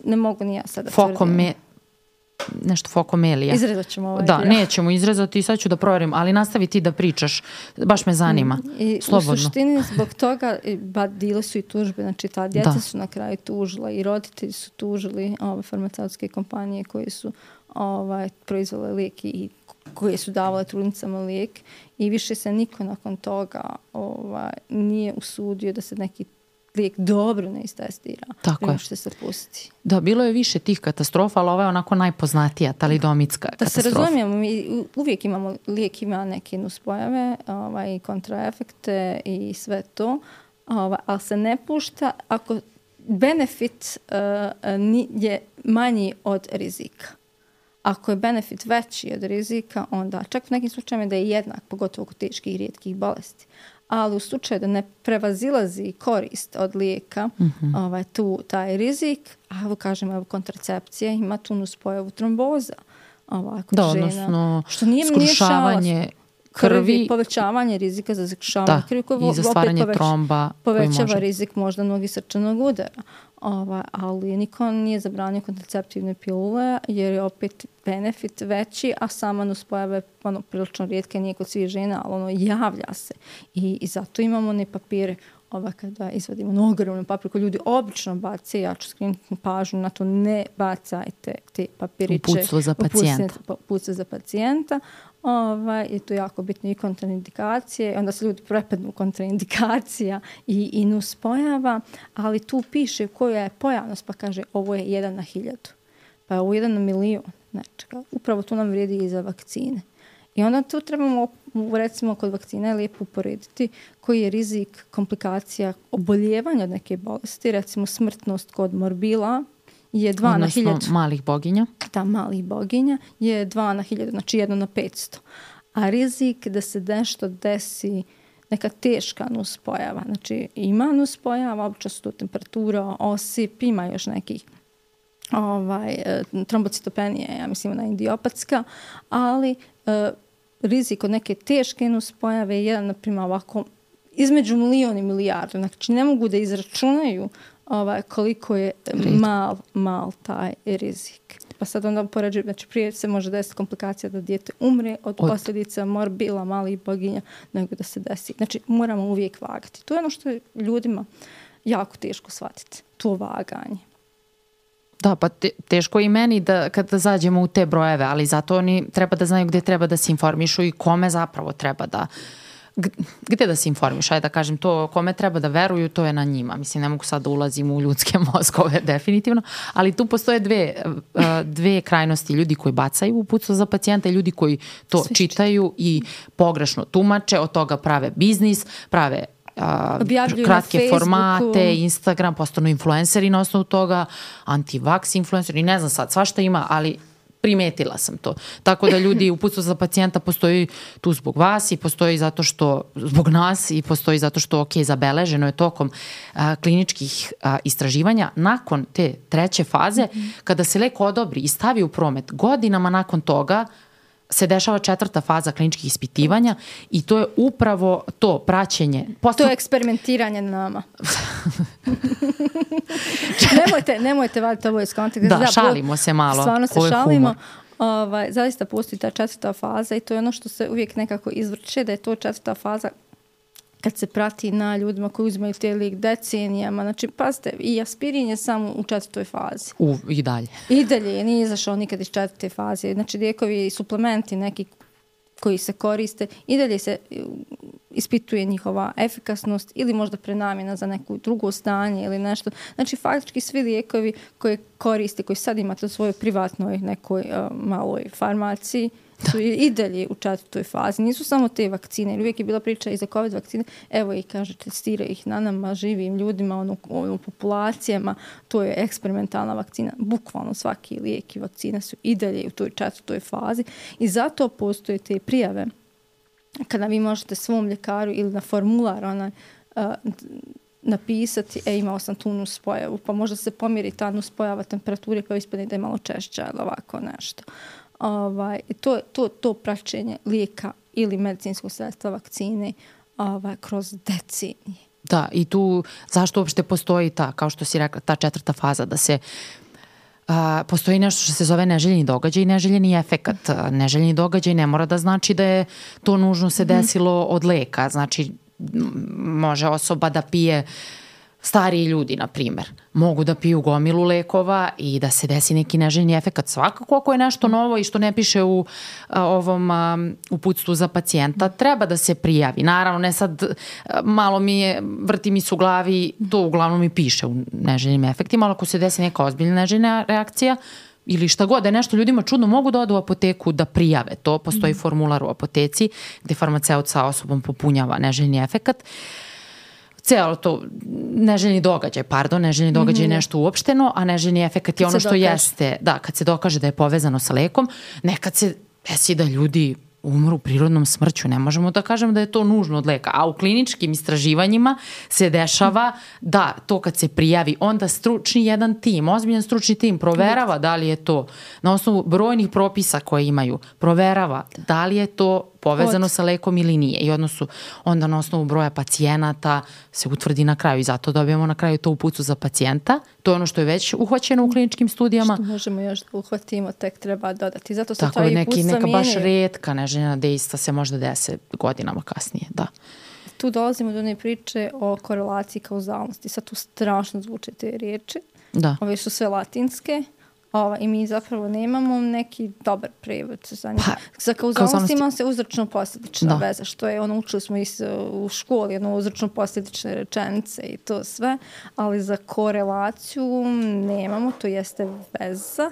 Ne mogu ni ja sada Fokome... nešto fokomelija. Izrezat ćemo ovaj Da, dio. nećemo izrezati i sad ću da provjerim, ali nastavi ti da pričaš. Baš me zanima. I slobodno. U suštini zbog toga ba, dile su i tužbe. Znači ta djeca da. su na kraju tužila i roditelji su tužili ove farmaceutske kompanije koje su ovaj, proizvale lijek i koje su davale trudnicama lijek i više se niko nakon toga ovaj, nije usudio da se neki lijek dobro ne istestira. Tako je. Što se pusti. Da, bilo je više tih katastrofa, ali ova je onako najpoznatija, talidomitska da katastrofa. Da se razumijemo, mi uvijek imamo, lijek ima neke nuspojave, ovaj, kontraefekte i sve to, ovaj, ali se ne pušta ako benefit uh, je manji od rizika. Ako je benefit veći od rizika, onda čak u nekim slučajima da je jednak, pogotovo kod teških i rijetkih bolesti. Ali u slučaju da ne prevazilazi korist od lijeka, mm-hmm. ovaj, tu taj rizik, a evo kažemo, evo kontracepcija ima tu nuspojavu tromboza. Ovaj, kod da, žena, odnosno što nije, skrušavanje nije krvi, krvi, povećavanje rizika za skrušavanje krvi, i za stvaranje poveć, tromba. Povećava rizik možda mnogi srčanog udara. Ovaj, ali niko nije zabranio kontraceptivne pilule jer je opet benefit veći, a sama nuspojava je ono, prilično rijetka, nije kod svih žena, ali ono javlja se. I, i zato imamo ne papire ova kada izvadimo na ogromnu papir koju ljudi obično bace, ja ću skrenuti pažnju na to, ne bacajte te papiriće. Uputstvo za pacijenta. Uputstvo za pacijenta. Ovaj, je to jako bitno i kontraindikacije, onda se ljudi prepadnu kontraindikacija i, i nuspojava, ali tu piše koja je pojavnost, pa kaže ovo je jedan na hiljadu, pa je ovo jedan na milion nečega. Upravo tu nam vrijedi i za vakcine. I onda tu trebamo, recimo kod vakcina je lijepo uporediti koji je rizik komplikacija oboljevanja od neke bolesti, recimo smrtnost kod morbila je dva odnosno na hiljadu. malih boginja. Da, malih boginja je dva na hiljadu, znači jedno na petsto. A rizik da se nešto desi, neka teška nuspojava, znači ima nuspojava, obično su to temperatura, osip, ima još nekih ovaj, trombocitopenija, ja mislim ona idiopatska, ali e, rizik od neke teške nuspojave je jedan, na primjer, ovako između milion i milijardu. Znači, ne mogu da izračunaju ovaj, koliko je mal, mal taj rizik. Pa sad onda poređujem, znači prije se može desiti komplikacija da dijete umre od, od posljedica morbila, malih boginja, nego da se desi. Znači, moramo uvijek vagati. To je ono što je ljudima jako teško shvatiti, to vaganje. Da, pa te, teško i meni da kada zađemo u te brojeve, ali zato oni treba da znaju gdje treba da se informišu i kome zapravo treba da, gdje da se informišu, ajde da kažem to, kome treba da veruju, to je na njima. Mislim, ne mogu sad da ulazim u ljudske mozgove, definitivno, ali tu postoje dve, dve krajnosti, ljudi koji bacaju uputstvo za pacijenta i ljudi koji to Svišće. čitaju i pogrešno tumače, od toga prave biznis, prave Uh, kratke formate, Instagram, postanu influenceri na osnovu toga, anti-vax influenceri, ne znam sad, svašta ima, ali primetila sam to. Tako da ljudi, uputstvo za pacijenta postoji tu zbog vas i postoji zato što, zbog nas i postoji zato što, ok, zabeleženo je tokom uh, kliničkih uh, istraživanja. Nakon te treće faze, mm-hmm. kada se lek odobri i stavi u promet, godinama nakon toga se dešava četvrta faza kliničkih ispitivanja i to je upravo to praćenje. Posto... To je eksperimentiranje na nama. nemojte, nemojte vaditi ovo iz konteksta. Da, da, šalimo se malo. Stvarno se šalimo. Ovaj, zaista postoji ta četvrta faza i to je ono što se uvijek nekako izvrće, da je to četvrta faza kad se prati na ljudima koji uzimaju te lijek decenijama. Znači, pazite, i aspirin je samo u četvrtoj fazi. U, I dalje. I dalje, nije izašao nikad iz četvrte faze. Znači, lijekovi i suplementi neki koji se koriste, i dalje se ispituje njihova efikasnost ili možda prenamjena za neko drugo stanje ili nešto. Znači, faktički svi lijekovi koje koriste, koji sad imate u svojoj privatnoj nekoj uh, maloj farmaciji, su i dalje u četvrtoj fazi. Nisu samo te vakcine, jer uvijek je bila priča i za COVID vakcine. Evo ih, kaže, testira ih na nama, živim ljudima, ono, ono, populacijama. To je eksperimentalna vakcina. Bukvalno svaki lijek i vakcina su i dalje u toj četvrtoj fazi. I zato postoje te prijave kada vi možete svom ljekaru ili na formular onaj, uh, napisati, e, imao sam tu nuspojavu, pa možda se pomjeri ta nuspojava temperature, pa ispadne da je malo češća ili ovako nešto. Ovaj, to, to, to praćenje lijeka ili medicinskog sredstva vakcine ovaj, kroz decenije. Da, i tu zašto uopšte postoji ta, kao što si rekla, ta četvrta faza, da se a, postoji nešto što se zove neželjeni događaj i neželjeni efekat. Neželjeni događaj ne mora da znači da je to nužno se desilo mm. od leka. Znači, može osoba da pije, stariji ljudi, na primjer, mogu da piju gomilu lekova i da se desi neki neželjeni efekat. Svakako, ako je nešto novo i što ne piše u a, ovom a, uputstvu za pacijenta, treba da se prijavi. Naravno, ne sad, a, malo mi je, vrti mi se u glavi, to uglavnom mi piše u neželjenim efektima, ali ako se desi neka ozbiljna neželjena reakcija ili šta god, da je nešto ljudima čudno, mogu da odu u apoteku da prijave to. Postoji mm. formular u apoteci gde farmaceut sa osobom popunjava neželjeni efekat. Cijelo to neželjeni događaj, pardon, neželjeni događaj je mm-hmm. nešto uopšteno, a neželjeni efekat je ono što dokaže. jeste, da, kad se dokaže da je povezano sa lekom, nekad se desi da ljudi umru prirodnom smrću, ne možemo da kažemo da je to nužno od leka, a u kliničkim istraživanjima se dešava da to kad se prijavi, onda stručni jedan tim, ozbiljan stručni tim proverava da li je to na osnovu brojnih propisa koje imaju, proverava da li je to povezano Od. sa lekom ili nije. I odnosu onda na osnovu broja pacijenata se utvrdi na kraju i zato dobijemo na kraju to uputstvo za pacijenta. To je ono što je već uhvaćeno u kliničkim studijama. Što možemo još da uhvatimo, tek treba dodati. Zato se Tako to i neki, neka mijenjaju. baš retka neželjena dejstva se možda dese godinama kasnije. Da. Tu dolazimo do one priče o korelaciji kauzalnosti. Sad tu strašno zvuče te riječi. Da. Ove su sve latinske. Ova, i mi zapravo nemamo neki dobar prevod za njih. Pa, za kauzalnost ima se uzročno-posljedična veza, što je ono, učili smo i u školi, ono, uzročno-posljedične rečenice i to sve, ali za korelaciju nemamo, to jeste veza,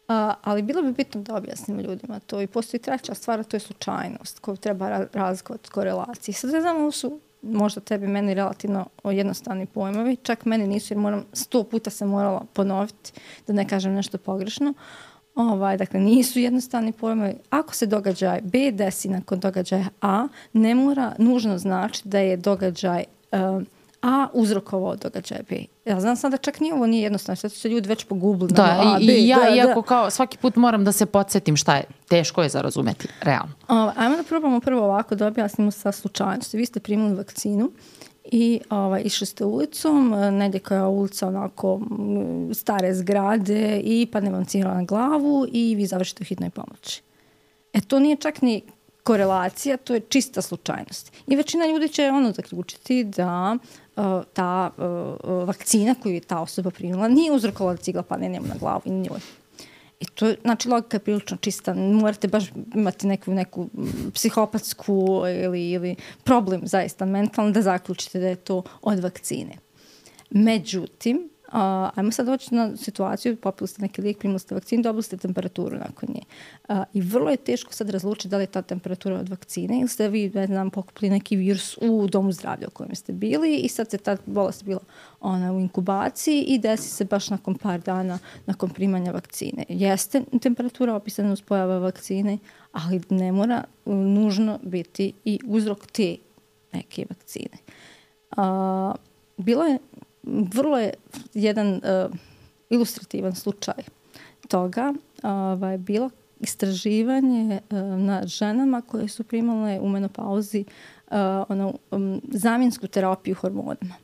a, ali bilo bi bitno da objasnimo ljudima to. I postoji treća stvar, to je slučajnost koju treba razlikovati od korelacije. Sad ne znamo, su možda tebi meni relativno jednostavni pojmovi, čak meni nisu jer moram, sto puta se morala ponoviti da ne kažem nešto pogrešno. Ovaj, dakle, nisu jednostavni pojmovi. Ako se događaj B desi nakon događaja A, ne mora nužno znači da je događaj uh, a uzrokovao događaj B. Ja znam sad da čak nije ovo nije jednostavno, sad su se ljudi već pogubili. Da, na A, i, B, i ja da, iako da. kao svaki put moram da se podsjetim šta je, teško je za razumeti, realno. O, ajmo da probamo prvo ovako da objasnimo sa slučajnosti. Vi ste primili vakcinu i ovaj, išli ste ulicom, negdje koja je ulica onako stare zgrade i padne vam cijev na glavu i vi završite u hitnoj pomoći. E to nije čak ni korelacija, to je čista slučajnost. I većina ljudi će ono zaključiti da uh, ta uh, vakcina koju je ta osoba primila nije uzrokovala da cigla padne njemu na glavu i njoj. I to je, znači, logika je prilično čista. Morate baš imati neku, neku psihopatsku ili, ili problem zaista mentalno da zaključite da je to od vakcine. Međutim, Uh, ajmo sad doći na situaciju, popili ste neki lijek, primili ste vakcinu, dobili ste temperaturu nakon nje. Uh, I vrlo je teško sad razlučiti da li je ta temperatura od vakcine ili ste vi, ne znam, pokupili neki virus u domu zdravlja u kojem ste bili i sad se ta bolest bila ona u inkubaciji i desi se baš nakon par dana nakon primanja vakcine. Jeste temperatura opisana uz pojava vakcine, ali ne mora uh, nužno biti i uzrok te neke vakcine. Uh, bilo je vrlo je jedan uh, ilustrativan slučaj toga. Ovaj, bilo istraživanje uh, na ženama koje su primale u menopauzi uh, ono, um, zamjensku terapiju hormonima.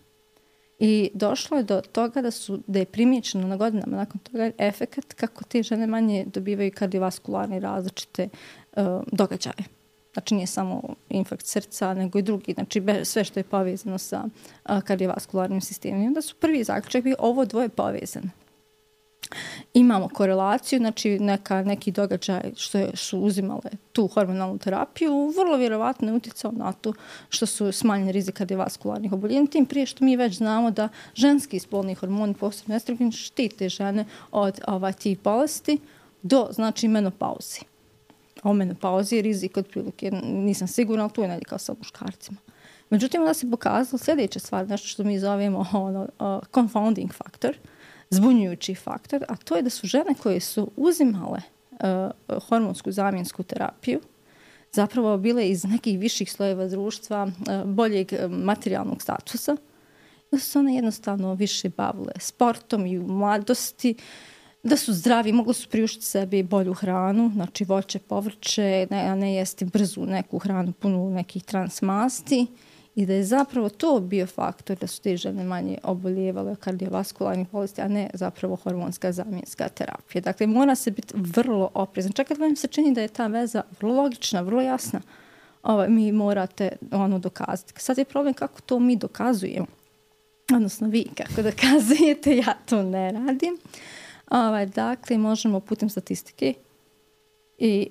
I došlo je do toga da, su, da je primijećeno na godinama nakon toga efekat kako te žene manje dobivaju kardiovaskularne različite uh, događaje. Znači nije samo infarkt srca, nego i drugi, znači sve što je povezano sa a, kardiovaskularnim sistemom. I onda su prvi zaključak bio ovo dvoje povezano. Imamo korelaciju, znači neka, neki događaj što je, su uzimale tu hormonalnu terapiju, vrlo vjerovatno je utjecao na to što su smanjeni rizik kardiovaskularnih oboljenja, tim prije što mi već znamo da ženski spolni hormoni, posebno estrogen, štite žene od ovaj, tih bolesti do, znači, menopauzi. O menopauzi je rizik otprilike, nisam sigurna, ali tu je negdje kao sa muškarcima. Međutim, da se pokazalo sljedeća stvar, nešto što mi zovemo ono, uh, confounding faktor, zbunjujući faktor, a to je da su žene koje su uzimale uh, hormonsku zamjensku terapiju, zapravo bile iz nekih viših slojeva društva, uh, boljeg uh, materijalnog statusa, da su one jednostavno više bavile sportom i u mladosti, da su zdravi, mogli su priuštiti sebi bolju hranu, znači voće, povrće, ne, a ne jesti brzu neku hranu punu nekih transmasti i da je zapravo to bio faktor da su te žene manje oboljevale od kardiovaskularnih bolesti, a ne zapravo hormonska zamjenska terapija. Dakle, mora se biti vrlo oprezan. Čak kad vam se čini da je ta veza vrlo logična, vrlo jasna, ovaj, mi morate ono dokazati. Sad je problem kako to mi dokazujemo. Odnosno vi kako dokazujete, ja to ne radim. Ovaj, dakle, možemo putem statistike i,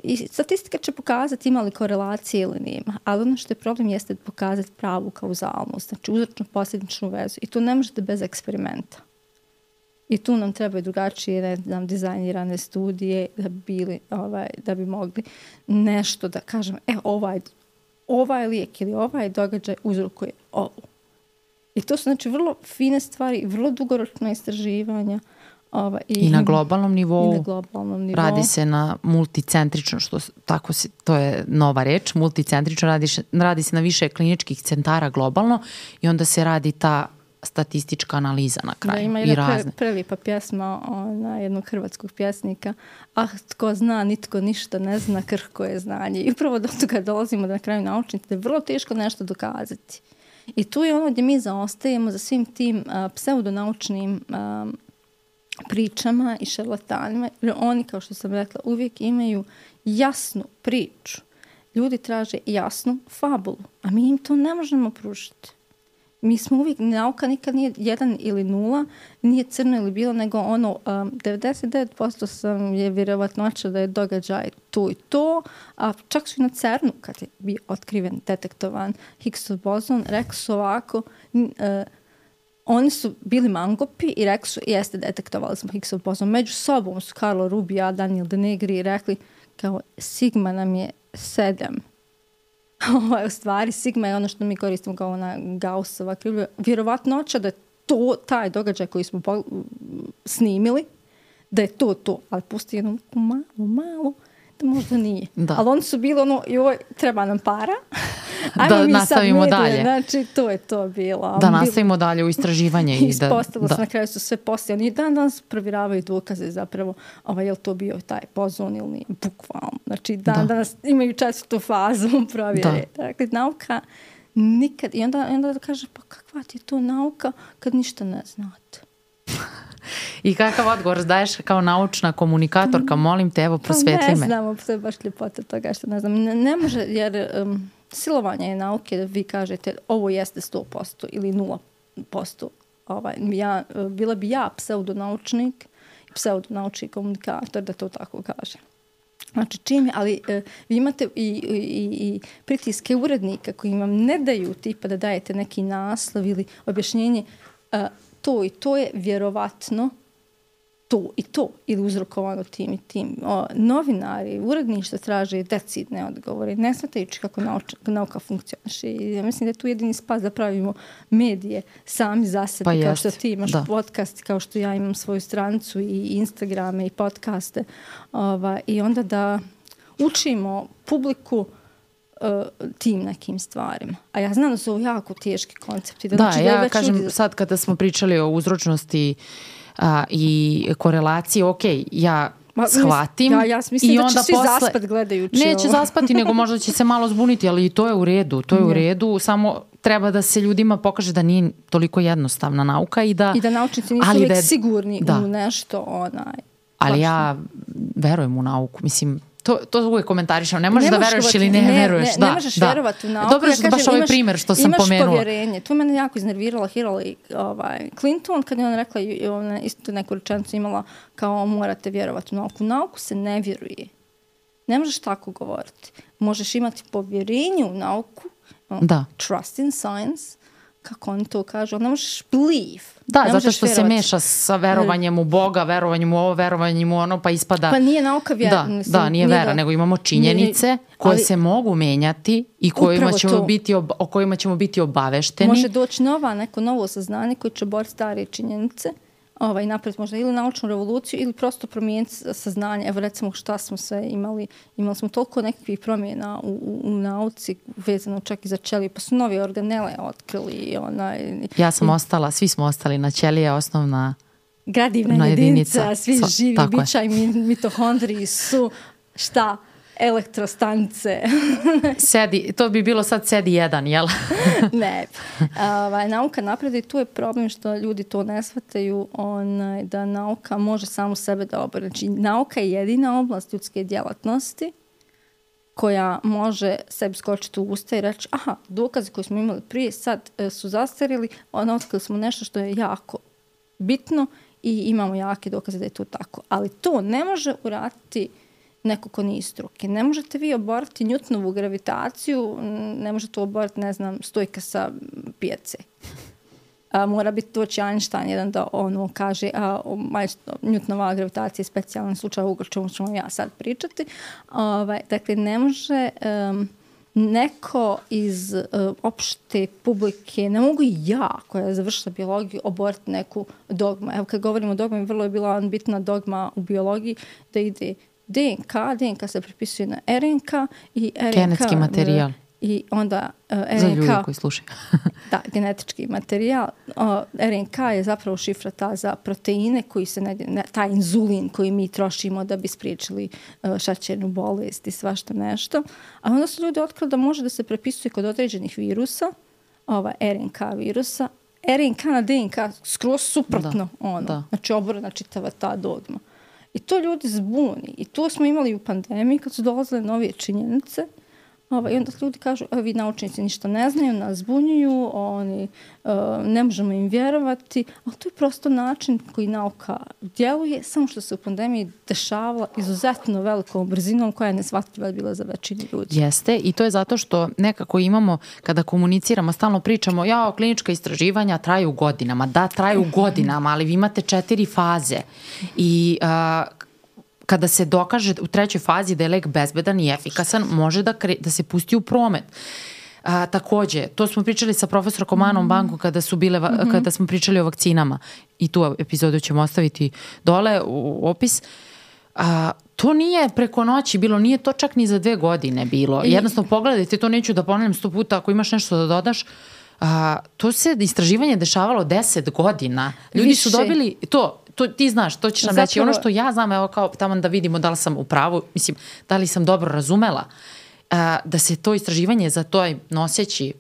i statistika će pokazati ima li korelacije ili nema, ali ono što je problem jeste pokazati pravu kauzalnost, znači uzročno-posljedičnu vezu i to ne možete bez eksperimenta. I tu nam trebaju drugačije, ne znam, dizajnirane studije da bi, bili, ovaj, da bi mogli nešto da kažem, e, ovaj, ovaj lijek ili ovaj događaj uzrokuje ovo. I to su, znači, vrlo fine stvari, vrlo dugoročna istraživanja. Ova, i, I na globalnom nivou, i na globalnom nivou radi se na multicentrično, što tako se, to je nova reč, multicentrično, radi, radi se na više kliničkih centara globalno i onda se radi ta statistička analiza na kraju. Da, ima i jedna razne. pre, prelipa pjesma ona, jednog hrvatskog pjesnika, ah, tko zna, nitko ništa ne zna, krhko je znanje. I upravo do toga dolazimo da na kraju naučnici da je vrlo teško nešto dokazati. I tu je ono gdje mi zaostajemo za svim tim uh, pseudonaučnim um, pričama i šarlatanima, jer oni, kao što sam rekla, uvijek imaju jasnu priču. Ljudi traže jasnu fabulu, a mi im to ne možemo pružiti. Mi smo uvijek, nauka nikad nije jedan ili nula, nije crno ili bilo, nego ono, um, devedeset devet posto sam je vjerovatnoća da je događaj to i to, a čak su i na CERNu, kad je bio otkriven, detektovan Higgsov bozon, rekao su ovako, uh, oni su bili mangopi i rekli su, jeste, detektovali smo Higgsov bozon. Među sobom su Carlo Rubbia, Daniel De Negri rekli kao sigma nam je sedam. Ovo u stvari, sigma je ono što mi koristimo kao ona Gaussova krivulja. Vjerovatnoća da je to taj događaj koji smo snimili, da je to to, ali pusti jednu malo, malo, da možda nije. Da. Ali oni su bili ono, joj, treba nam para, da nastavimo dalje. Znači, to je to bilo. Da nastavimo dalje u istraživanje. I ispostavilo da, se, na kraju su sve poslije. Oni dan danas provjeravaju dokaze zapravo, ovaj, je li to bio taj pozon ili nije, bukvalno. Znači, dan da. danas imaju četvrtu fazu provjere. Dakle, nauka nikad, i onda, onda kaže, pa kakva ti je to nauka kad ništa ne znate? I kakav odgovor daješ kao naučna komunikatorka? Molim te, evo, prosvetli me. Ne znamo, to je baš ljepota toga što ne znam. Ne, ne može, jer um, silovanje je nauke da vi kažete ovo jeste sto posto ili nula posto. Ovaj, ja, bila bi ja pseudonaučnik, pseudonaučni komunikator da to tako kaže. Znači čim je, ali uh, vi imate i, i, i pritiske urednika koji vam ne daju tipa da dajete neki naslov ili objašnjenje uh, to i to je vjerovatno to i to ili uzrokovano tim i tim. O, novinari, uredništvo traže decidne odgovore, ne shvatajući kako nauča, nauka funkcioniše. I ja mislim da je tu jedini spas da pravimo medije sami za sebe, pa kao jest. Što ti imaš da. podcast, kao što ja imam svoju stranicu i Instagrame i podcaste. Ova, I onda da učimo publiku tim nekim stvarima. A ja znam da su ovo jako teški koncepti. Da, da znači, ja da kažem ljudi... sad kada smo pričali o uzročnosti a, i korelaciji, ok, ja Ma, shvatim. Ja, ja mislim i da onda će svi posle... zaspat gledajući Neće ovo. zaspati, nego možda će se malo zbuniti, ali to je u redu. To je u redu, samo treba da se ljudima pokaže da nije toliko jednostavna nauka i da... I da naučnici nisu uvijek da je... sigurni da. u nešto onaj... Ali ja verujem u nauku, mislim... To, to uvijek komentarišam. Ne možeš ne da veruješ ili ne, ne veruješ. Ne, da, ne možeš da. vjerovati u nauku. Dobro je ja baš ovaj primjer što sam imaš pomenula. Imaš povjerenje. To mene jako iznervirala Hillary ovaj, Clinton kad je ona rekla, ona isto neku rečenicu imala kao morate vjerovati u nauku. U nauku se ne vjeruje. Ne možeš tako govoriti. Možeš imati povjerenje u nauku. Da. Trust in science. Kako oni to kažu. Ne možeš believe. Da, zato što vjerovati. Se meša sa verovanjem u Boga, verovanjem u ovo, verovanjem u ono, pa ispada... Pa nije nauka vjera. Da, mislim, da nije vera, da. Nego imamo činjenice nije, koje ali, se mogu menjati i kojima ćemo biti ob, o kojima ćemo biti obavešteni. Može doći nova, neko novo saznanje koje će boriti stare činjenice ovaj, napraviti možda ili naučnu revoluciju ili prosto promijeniti saznanje. Evo recimo šta smo sve imali. Imali smo toliko nekakvih promjena u, u, u nauci vezano čak i za ćelije. Pa su nove organele otkrili. Onaj, ja sam i, ostala, svi smo ostali na ćelije, osnovna gradivna jedinica, jedinica, svi so, živi bića i mitohondriji su šta? Elektrostanice. Sedi, to bi bilo sad sedi jedan, jel? Ne. Ovaj, nauka napreduje i tu je problem što ljudi to ne shvataju onaj, da nauka može samu sebe da obori. Znači, nauka je jedina oblast ljudske djelatnosti koja može sebi skočiti u usta i reći aha, dokaze koje smo imali prije sad e, su zastarili, onda otkrili smo nešto što je jako bitno i imamo jake dokaze da je to tako. Ali to ne može uraditi neko ko nije struke. Ne možete vi oboriti Newtonovu gravitaciju, ne možete oboriti, ne znam, stojka sa pijace. A, mora biti doći Einstein jedan da ono kaže a, Newtonova gravitacija je specijalan slučaj u čemu ćemo ja sad pričati. Ovaj, dakle, ne može um, neko iz uh, opšte publike, ne mogu i ja koja je završila biologiju oboriti neku dogmu. Evo kad govorimo o dogmi, vrlo je bila bitna dogma u biologiji da ide D N K, D N K se prepisuje na R N K i R N K... Genetski materijal. I onda uh, R N K... Za ljude koji slušaju. Da, genetički materijal. Uh, R N K je zapravo šifra ta za proteine koji se ne, ne, taj inzulin koji mi trošimo da bi spriječili uh, šećernu bolest i svašta nešto. A onda su ljudi otkrili da može da se prepisuje kod određenih virusa, ova R N K virusa. R N K na D N K skroz suprotno. Da, ono. Da. Znači oborena čitava ta dogma. I to ljudi zbuni. I to smo imali u pandemiji kad su dolazile novije činjenice. Ovaj, I onda ljudi kažu, vi naučnici ništa ne znaju, nas zbunjuju, oni, uh, ne možemo im vjerovati. Ali to je prosto način koji nauka djeluje, samo što se u pandemiji dešavala izuzetno velikom brzinom koja je neshvatljiva bila za većinu ljudi. Jeste, i to je zato što nekako imamo, kada komuniciramo, stalno pričamo, ja, klinička istraživanja traju godinama. Da, traju godinama, ali vi imate četiri faze. I... Uh, kada se dokaže u trećoj fazi da je lek bezbedan i efikasan, može da, kre, da se pusti u promet. A, takođe, to smo pričali sa profesorkom Anom Bankom kada, su bile, mm-hmm. kada smo pričali o vakcinama i tu epizodu ćemo ostaviti dole u opis. A, to nije preko noći bilo, nije to čak ni za dve godine bilo. I... Jednostavno pogledajte, to neću da ponavljam sto puta, ako imaš nešto da dodaš, a, to se istraživanje dešavalo deset godina. Ljudi Više. su dobili, to, to ti znaš, to ćeš nam Zapravo... reći. Ono što ja znam, evo kao tamo da vidimo da li sam u pravu, mislim, da li sam dobro razumela, a, da se to istraživanje za toj noseći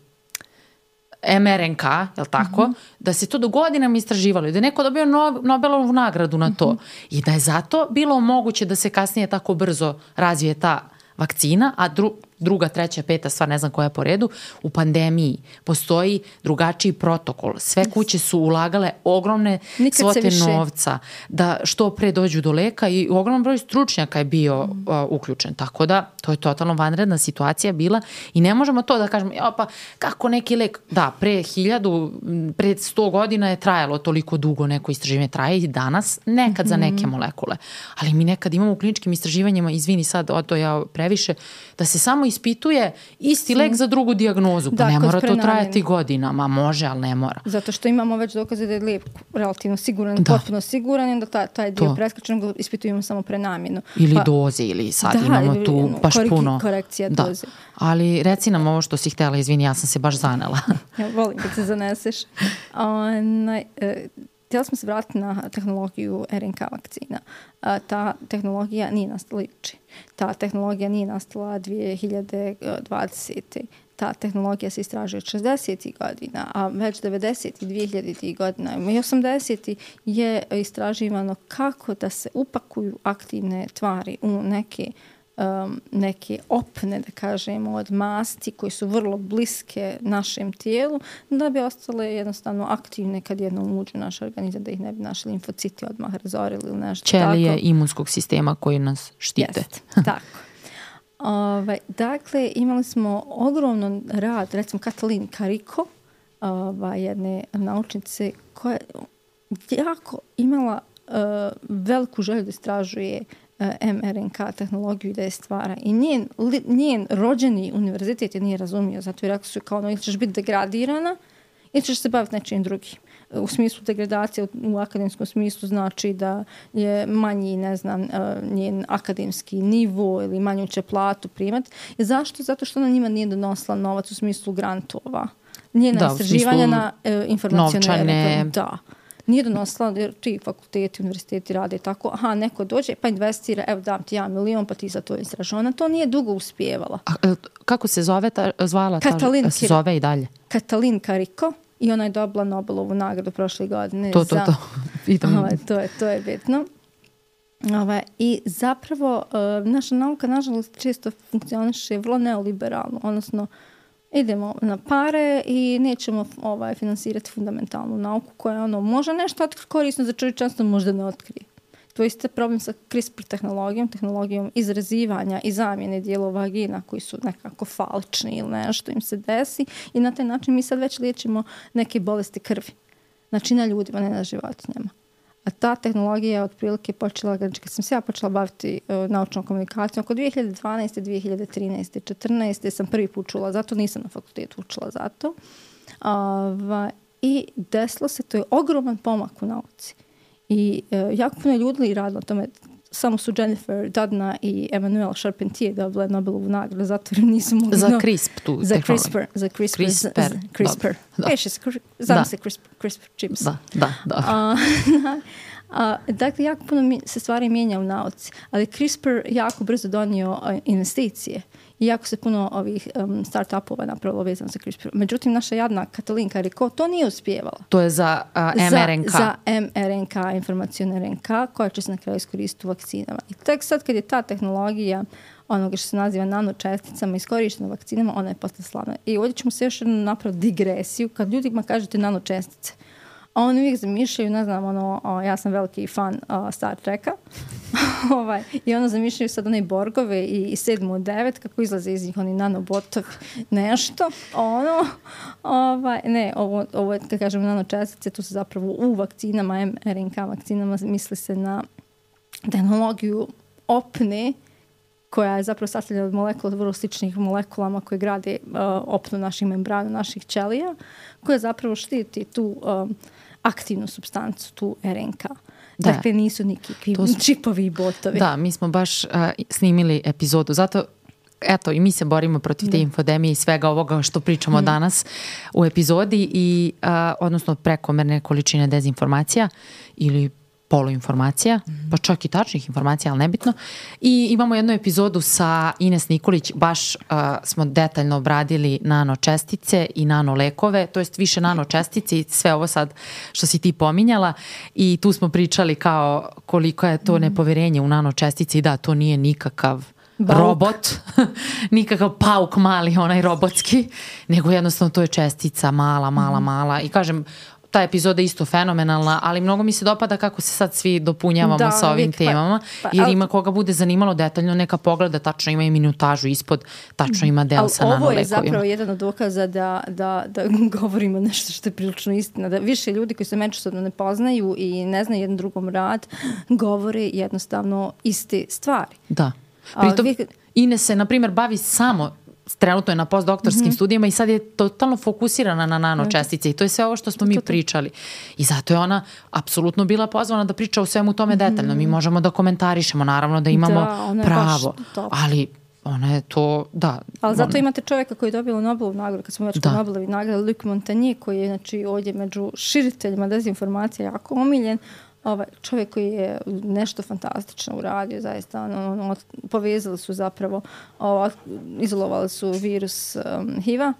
em er en ka, jel tako, mm-hmm. da se to do godinama istraživalo i da je neko dobio no, Nobelovu nagradu na to mm-hmm. i da je zato bilo moguće da se kasnije tako brzo razvije ta vakcina, a dru, druga, treća, peta stvar, ne znam koja je po redu, u pandemiji postoji drugačiji protokol. Sve kuće su ulagale ogromne Nikad svote novca da što pre dođu do leka i ogroman broj stručnjaka je bio mm. uh, uključen. Tako da, to je totalno vanredna situacija bila i ne možemo to da kažemo, ja, pa kako neki lek, da, pre hiljadu, pre sto godina je trajalo toliko dugo neko istraživanje, traje i danas, nekad mm-hmm. za neke molekule. Ali mi nekad imamo u kliničkim istraživanjima, izvini sad, o to ja previše, da se samo ispituje isti lek za drugu dijagnozu. Pa da, ne mora to trajati godinama. Može, ali ne mora. Zato što imamo već dokaze da je lijek relativno siguran, da. potpuno siguran i da taj, taj dio preskačenog ispitujemo samo prenamjenu. Ili pa, doze, ili sad da, imamo tu ili, baš koriki, puno. Korekcija da. doze. Ali reci nam ovo što si htjela, izvini, ja sam se baš zanela. Ja volim da se zaneseš. Onaj, e, htjela smo se vratiti na tehnologiju er en ka vakcina. A, ta tehnologija nije nastala juče. Ta tehnologija nije nastala dvije hiljade dvadesete. Ta tehnologija se istražuje od šezdesetih godina, a već devedesetih, dvije hiljaditih godina i osamdesetih je istraživano kako da se upakuju aktivne tvari u neke Um, neke opne, da kažemo, od masti koje su vrlo bliske našem tijelu, da bi ostale jednostavno aktivne kad jednom uđu u naš organizam, da ih ne bi naši limfociti odmah razorili ili nešto Ćelije tako. Ćelije imunskog sistema koji nas štite. Jest, tako. Ove, dakle, imali smo ogromno rad, recimo Katalin Kariko, ove, jedne naučnice koja je jako imala uh, veliku želju da istražuje em er en ka tehnologiju i da je stvara. I njen, li, njen rođeni univerzitet je nije razumio, zato je rekao su kao ono, ili ćeš biti degradirana ili ćeš se baviti nečim drugim. U smislu degradacije, u, u akademskom smislu znači da je manji, ne znam, uh, njen akademski nivo ili manju će platu primati. I zašto? Zato što ona njima nije donosila novac u smislu grantova. Njena da, istraživanja na uh, informacionere. Da. Nije donosila, jer ti fakulteti, univerziteti rade tako, aha, neko dođe pa investira, evo dam ti ja milion, pa ti za to istražuje. Ona to nije dugo uspijevala. A, kako se zove ta, zvala? Katalin, ta, se zove i dalje? Katalin Kariko i ona je dobila Nobelovu nagradu prošle godine. To, to, za, to. Idem. Ovaj, to, je, to je bitno. Ovaj, I zapravo, uh, naša nauka, nažalost, često funkcioniše vrlo neoliberalno, odnosno idemo na pare i nećemo ovaj, finansirati fundamentalnu nauku koja ono, može nešto otkriti korisno za čovječanstvo, možda ne otkrije. To je isto problem sa CRISPR tehnologijom, tehnologijom izrezivanja i zamjene dijelova vagina koji su nekako falčni ili nešto im se desi i na taj način mi sad već liječimo neke bolesti krvi. Znači na ljudima, ne na životinjama. A ta tehnologija je otprilike počela, kad sam se ja počela baviti uh, naučnom komunikacijom, oko dvije hiljade dvanaeste, dvije hiljade trinaeste, četrnaeste sam prvi put čula zato, nisam na fakultetu učila zato. Uh, I desilo se, to je ogroman pomak u nauci. I uh, jako puno ljudi radilo na tome. Samo su Jennifer Doudna i Emmanuelle Charpentier dobile Nobelovu nagradu zato jer nisu mogli... Za CRISP tu za CRISPR, za CRISPR. CRISPR. Za, CRISPR. Znam se CRISPR, CRISPR chips. Da, da, da. A, a, dakle, jako puno se stvari mijenja u nauci, ali CRISPR jako brzo donio investicije. I jako se puno ovih um, start-upova napravilo vezano za CRISPR. Međutim, naša jadna Katalin Kariko to nije uspijevala. To je za uh, em er en ka. Za, za em er en ka, informacijona er en ka, koja će se na kraju iskoristiti u vakcinama. I tek sad kad je ta tehnologija onoga što se naziva nanočesticama iskorištena u vakcinama, ona je postala slavna. I ovdje ćemo se još napraviti digresiju. Kad ljudima kažete nanočestice, a oni uvijek zamišljaju, ne znam, ono, o, ja sam veliki fan o, Star Treka, ovaj, i ono zamišljaju sad one Borgove i, i sedmu od devet, kako izlaze iz njih oni nanobotovi, nešto, ono, ovaj, ne, ovo, ovo kad kažem nanočestice, to su zapravo u vakcinama, em er en ka vakcinama, misli se na tehnologiju opne, koja je zapravo sastavljena od molekula, vrlo sličnih molekulama koje grade uh, opnu naših membrana, naših ćelija, koja zapravo štiti tu um, aktivnu supstancu, tu er en ka. Da. Dakle, nisu nikakvi smo, čipovi i botovi. Da, mi smo baš uh, snimili epizodu. Zato, eto, i mi se borimo protiv da. te infodemije i svega ovoga što pričamo mm. danas u epizodi, i, uh, odnosno prekomerne količine dezinformacija ili poluinformacija, mm. pa čak i tačnih informacija, ali nebitno. I imamo jednu epizodu sa Ines Nikolić, baš uh, smo detaljno obradili nanočestice i nanolekove, to jest više nanočestice i sve ovo sad što si ti pominjala, i tu smo pričali kao koliko je to mm. nepoverenje u nanočestice, i da, to nije nikakav Bauk. robot, nikakav pauk mali, onaj robotski, nego jednostavno to je čestica mala, mala, mm. mala, i kažem, ta epizoda je isto fenomenalna, ali mnogo mi se dopada kako se sad svi dopunjavamo da, sa ovim temama, pa, pa, jer ima koga bude zanimalo detaljno neka pogleda, tačno ima i minutažu ispod, tačno ima deo sa nanolekovima. Ovo je zapravo jedan od dokaza da, da, da govorimo nešto što je prilično istina, da više ljudi koji se međusobno ne poznaju i ne znaju jedan drugom rad, govore jednostavno iste stvari. Da. Pritom, vi... Ines se, na primjer, bavi samo trenutno je na postdoktorskim mm-hmm. studijama i sad je totalno fokusirana na nanočestice, i to je sve ovo što smo mi pričali. I zato je ona apsolutno bila pozvana da priča o svemu tome mm-hmm. detaljno. Mi možemo da komentarišemo, naravno da imamo da, pravo, ali ona je to, da. Ali zato ona... imate čovjeka koji je dobila Nobelovu nagradu, kad smo već kod Nobelovi nagrade, Luc Montagnier, koji je znači, ovdje među širiteljima dezinformacija jako omiljen. Ovaj čovjek koji je nešto fantastično uradio, zaista ono, ono, povezali su zapravo, ovo, izolovali su virus um, H I V-a,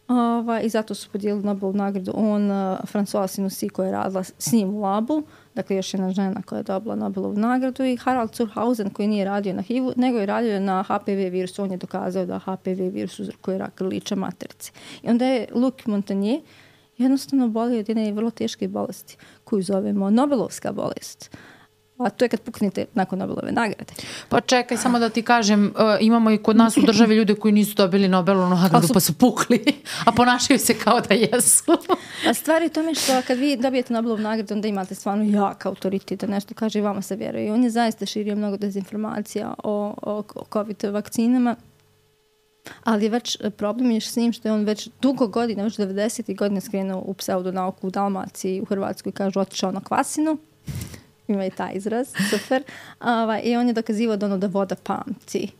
ovaj, i zato su podijelili Nobelovu nagradu. On, uh, François Sinussi, koja je radila s njim u labu, dakle još jedna žena koja je dobila Nobelovu nagradu, i Harald Zurhausen, koji nije radio na H I V-u, nego je radio na H P V virusu. On je dokazao da H P V virus uzrokuje rak grlića materice. I onda je Luc Montagnier jednostavno boli od jedne vrlo teške bolesti koju zovemo Nobelovska bolest. A to je kad puknete nakon Nobelove nagrade. Pa čekaj, samo da ti kažem, uh, imamo i kod nas u državi ljude koji nisu dobili Nobelovu nagradu su... pa su pukli, a ponašaju se kao da jesu. A stvar je u tome što kad vi dobijete Nobelovu nagradu, onda imate stvarno jak autoritet da nešto kaže i vama se vjeruje. I on je zaista širio mnogo dezinformacija o, o, o COVID vakcinama. Ali je već problem je s njim što je on već dugo godina, već devedesetih godina skrenuo u pseudonauku u Dalmaciji, u Hrvatskoj, kažu otišao na kvasinu. Ima i taj izraz, super. Uh, I on je dokazivao da ono da voda pamti.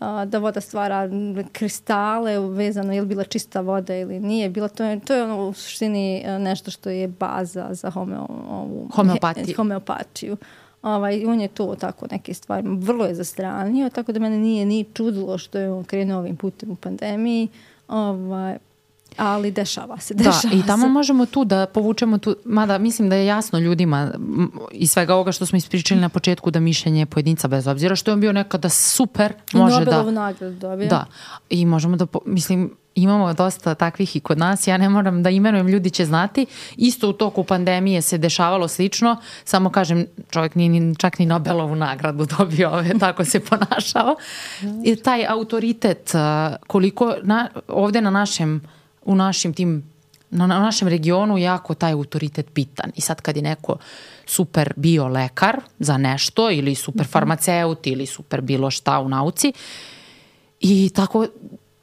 Uh, da voda stvara kristale vezano je li bila čista voda ili nije. Bila to, je, to je ono u suštini nešto što je baza za homeo, ovu, homeopatiju. He, homeopatiju. Ovaj, on je to tako neke stvari, vrlo je zastranio, tako da mene nije ni čudilo što je on krenuo ovim putem u pandemiji, ovaj, ali dešava se, dešava da, i tamo se. Možemo tu da povučemo tu, mada mislim da je jasno ljudima i svega ovoga što smo ispričali na početku da mišljenje pojedinca, bez obzira što je on bio nekada super, može da... Nobelovu nagradu dobio. Da, i možemo da, mislim, imamo dosta takvih i kod nas, ja ne moram da imenujem, ljudi će znati. Isto u toku pandemije se dešavalo slično, samo kažem, čovjek nije ni, čak ni Nobelovu nagradu dobio, ove, tako se ponašao. I taj autoritet, koliko na, ovdje na našem, u našim tim, na, na našem regionu jako taj autoritet bitan. I sad kad je neko super bio lekar za nešto, ili super farmaceut, ili super bilo šta u nauci, i tako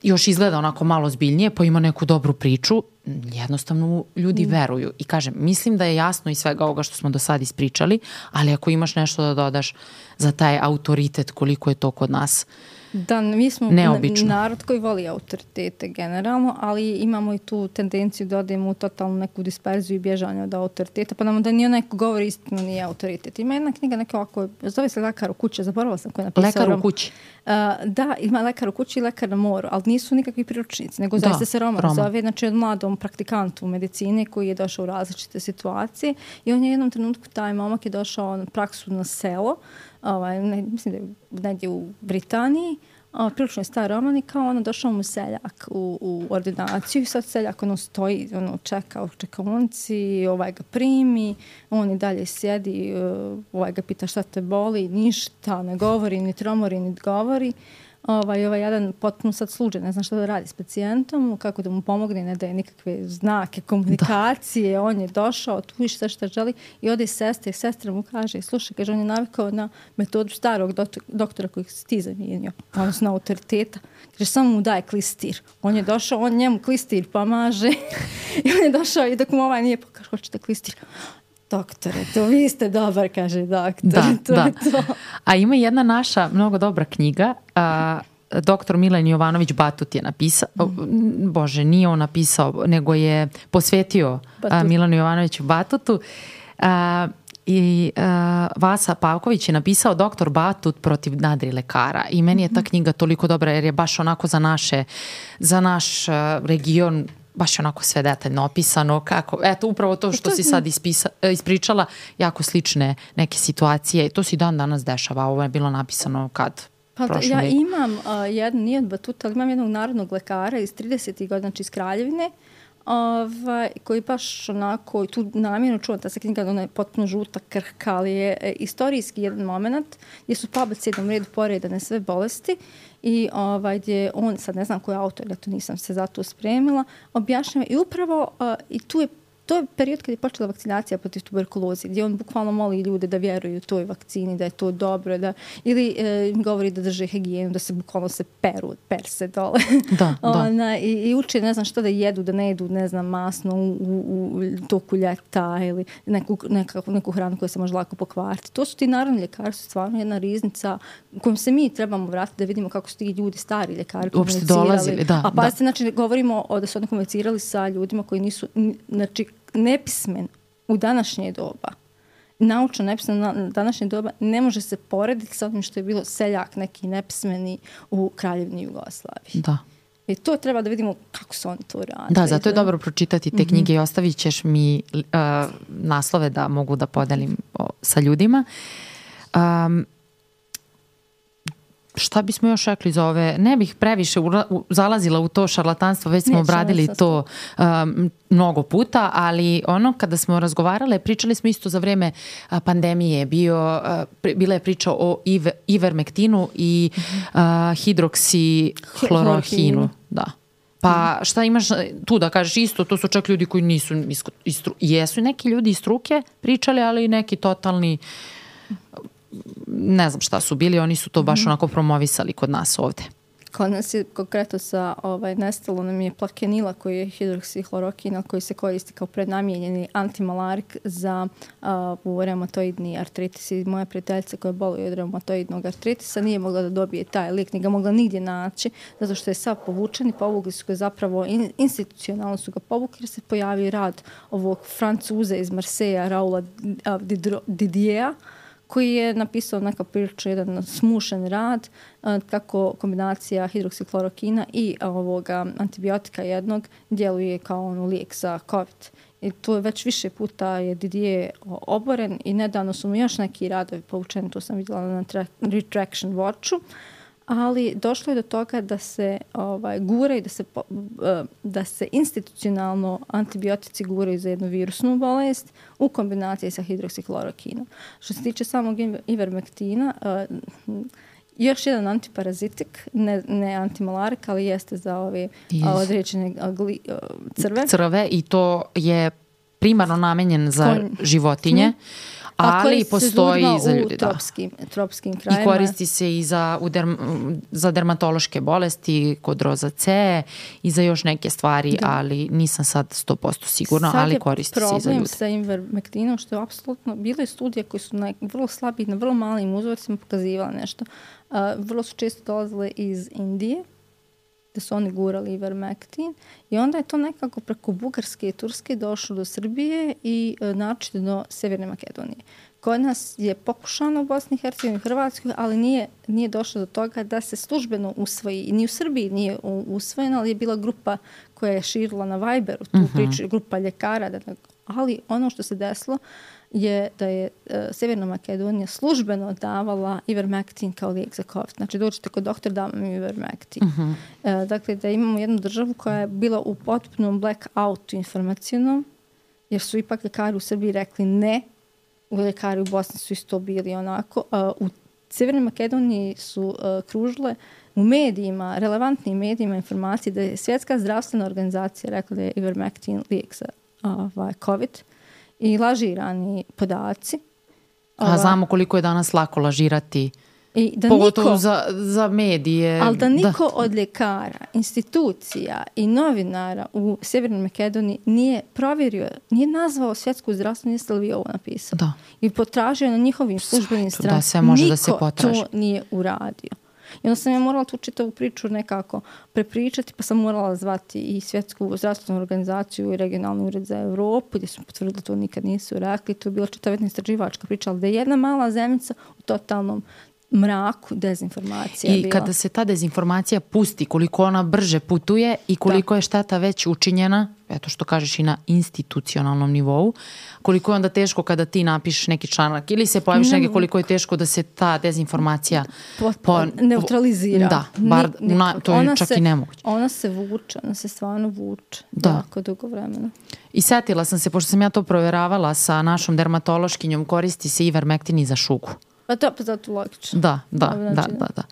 još izgleda onako malo zbiljnije, pa ima neku dobru priču, jednostavno ljudi veruju. I kažem, mislim da je jasno iz svega ovoga što smo do sad ispričali, ali ako imaš nešto da dodaš za taj autoritet, koliko je to kod nas Da, mi smo neobično. Narod koji voli autoritete generalno, ali imamo i tu tendenciju da odemo u totalnu neku disperziju i bježanje od autoriteta, pa nam da nije neko govori istinu, nije autoritet. Ima jedna knjiga neka ovako, zove se Lekar u kući, zaboravila sam koja je napisao. Lekar u kući? Uh, da, ima Lekar u kući i Lekar na moru, ali nisu nikakvi priručnici, nego zaista se roman, roman zove, znači od mladom praktikantu u medicini koji je došao u različite situacije i on je u jednom trenutku, taj momak je došao na praksu na selo, ovaj, ne, mislim da je negdje u Britaniji, a, prilično je star roman i kao ono došao mu seljak u, u ordinaciju i sad seljak ono stoji, ono čeka u čekaonici, ovaj ga primi, on i dalje sjedi, ovaj ga pita šta te boli, ništa ne govori, ni tromori, ni govori. Ovaj, ovaj jedan potpuno sad sluđe, ne znam šta da radi s pacijentom, kako da mu pomogne, ne daje nikakve znake komunikacije, da. On je došao, tu više sve što želi i ode sestre, i sestra mu kaže, slušaj, kaže, on je navikao na metodu starog doktora kojeg si ti zamijenio, odnosno autoriteta, kaže, samo mu daje klistir. On je došao, on njemu klistir pomaže i on je došao i dok mu ovaj nije pokaže, hoćete klistir. doktore, to vi ste dobar, kaže doktor. Da, to da. To. A ima jedna naša mnogo dobra knjiga, a, doktor Milan Jovanović Batut je napisao, mm. bože, nije on napisao, nego je posvetio a, Milanu Jovanoviću Batutu. A, I a, Vasa Pavković je napisao Doktor Batut protiv nadrilekara i meni je ta knjiga toliko dobra jer je baš onako za naše, za naš a, region baš onako sve detaljno opisano kako, eto upravo to što to si sad ispisa, ispričala, jako slične neke situacije i to se i dan danas dešava, ovo je bilo napisano kad? Pa da, ja veku. imam uh, jedan, nije od Batuta, ali imam jednog narodnog lekara iz tridesetih godina, znači iz Kraljevine, ovaj, koji baš onako, tu namjerno čuvam, ta se knjiga, ona je potpuno žuta, krhka, ali je e, istorijski jedan moment gdje su po abecednom redu poredane sve bolesti i ovaj, gdje on, sad ne znam koji je autor, ja to nisam se zato spremila, objašnjava i upravo uh, i tu je to je period kad je počela vakcinacija protiv tuberkuloze, gdje on bukvalno moli ljude da vjeruju toj vakcini, da je to dobro, da, ili e, govori da drže higijenu, da se bukvalno se peru, per se dole. Da, Ona, da. I, I uče, ne znam što da jedu, da ne jedu, ne znam, masno u, u, u toku ljeta ili neku, neka, neku hranu koja se može lako pokvariti. To su ti narodni ljekari, su stvarno jedna riznica kojom se mi trebamo vratiti da vidimo kako su ti ljudi, stari ljekari uopšte dolazili. Da, A pa da. se, znači, govorimo o, da su oni komunicirali sa ljudima koji nisu, znači, nepismen u današnje doba, naučno nepismen na današnje doba, ne može se porediti sa onim što je bilo seljak neki nepismeni u Kraljevini Jugoslaviji. Da. I to treba da vidimo kako su oni to radili. Da, zato je dobro pročitati te knjige mm-hmm. i ostavit ćeš mi uh, naslove da mogu da podelim o, sa ljudima. Um, šta bismo još rekli za ove? Ne bih previše ura, u, zalazila u to šarlatanstvo, već smo obradili to um, mnogo puta, ali ono kada smo razgovarale, pričali smo isto za vreme a, pandemije, bio, a, pri, bila je priča o ive, ivermektinu i a, hidroksihlorohinu. Da. Pa šta imaš tu da kažeš isto, to su čak ljudi koji nisu, istru, jesu neki ljudi iz struke pričali, ali neki totalni, ne znam šta su bili, oni su to baš onako promovisali kod nas ovde. Kod nas je konkretno sa ovaj, nestalo nam je plakenila koji je hidroksihlorokin koji se koristi kao prednamijenjeni antimalarik za uh, reumatoidni artritis. I moja prijateljica koja boluje od reumatoidnog artritisa nije mogla da dobije taj lijek, nije ga mogla nigdje naći, zato što je sav povučen i povukli su ga zapravo, in, institucionalno su ga povukli jer se pojavio rad ovog Francuza iz Marseja, Raula Didiera, koji je napisao neka prilično jedan smušen rad kako kombinacija hidroksihlorokina i ovoga antibiotika jednog djeluje kao ono lijek za COVID. I to je već više puta je Didier oboren i nedavno su mu još neki radovi povučeni, to sam vidjela na Retraction Watchu, ali došlo je do toga da se ovaj, gura i da se, da se institucionalno antibiotici guraju za jednu virusnu bolest u kombinaciji sa hidroksihlorokinom. Što se tiče samog ivermektina, uh, još jedan antiparazitik, ne, ne antimalarik, ali jeste za ove yes. određene gli, uh, crve. Crve i to je primarno namenjen za Konj. životinje. Mm. Ali postoji i za ljudi, tropskim, da. tropskim krajima. I koristi se i za, u derm, za dermatološke bolesti, kod rozacee i za još neke stvari, da. ali nisam sad sto posto sigurna, sad ali koristi se i za ljude. Sad je problem sa ivermektinom, što je apsolutno, bile studije koje su na vrlo slabi, na vrlo malim uzorcima pokazivala nešto. Uh, vrlo su često dolazile iz Indije, da su oni gurali ivermektin i onda je to nekako preko Bugarske i Turske došlo do Srbije i e, naročito do Severne Makedonije. Kod nas je pokušano u Bosni i Hercegovini i Hrvatskoj, ali nije, nije došlo do toga da se službeno usvoji. Ni u Srbiji nije usvojeno, ali je bila grupa koja je širila na Viberu tu uh-huh. priču, grupa ljekara. Da, ali ono što se desilo je da je uh, Severna Makedonija službeno davala ivermektin kao lijek za COVID. Znači, dođete kod doktora, dam vam ivermektin. Uh-huh. Uh, dakle, da imamo jednu državu koja je bila u potpunom blackoutu informacionom, jer su ipak ljekari u Srbiji rekli ne, u ljekari u Bosni su isto bili onako. Uh, u Severnoj Makedoniji su uh, kružile u medijima, relevantnim medijima informacije da je Svjetska zdravstvena organizacija rekla da je ivermektin lijek za uh, COVID. I lažirani podaci. A znamo koliko je danas lako lažirati I da pogotovo niko, za, za medije. ali da niko da. od ljekara, institucija i novinara u Sjevernoj Makedoniji nije provjerio, nije nazvao svjetsku zdravstvenu, jeste li vi ovo napisali? Da. I potražio na njihovim službenim stranama. Da, sve može niko da se potraži. to nije uradio. I onda sam ja morala tu čitavu priču nekako prepričati, pa sam morala zvati i Svjetsku zdravstvenu organizaciju i regionalni ured za Evropu, gdje su potvrdili da to nikad nisu rekli. To je bila čitava jedna istraživačka priča, ali da je jedna mala zemljica u totalnom mraku dezinformacija I bila. kada se ta dezinformacija pusti, koliko ona brže putuje i koliko da. je šteta već učinjena, eto što kažeš i na institucionalnom nivou, koliko je onda teško kada ti napišeš neki članak ili se pojaviš ne, neke, koliko je teško da se ta dezinformacija po, po, neutralizira. Da, bar Ni, na, to je ona čak se, i nemoguće. Ona se vuče, ona se stvarno vuče Da. jako dugo vremena. I setila sam se, pošto sam ja to provjeravala sa našom dermatološkinjom, koristi se ivermektin i za šugu. Pa to pa zato logično. Da, da, da, da, da.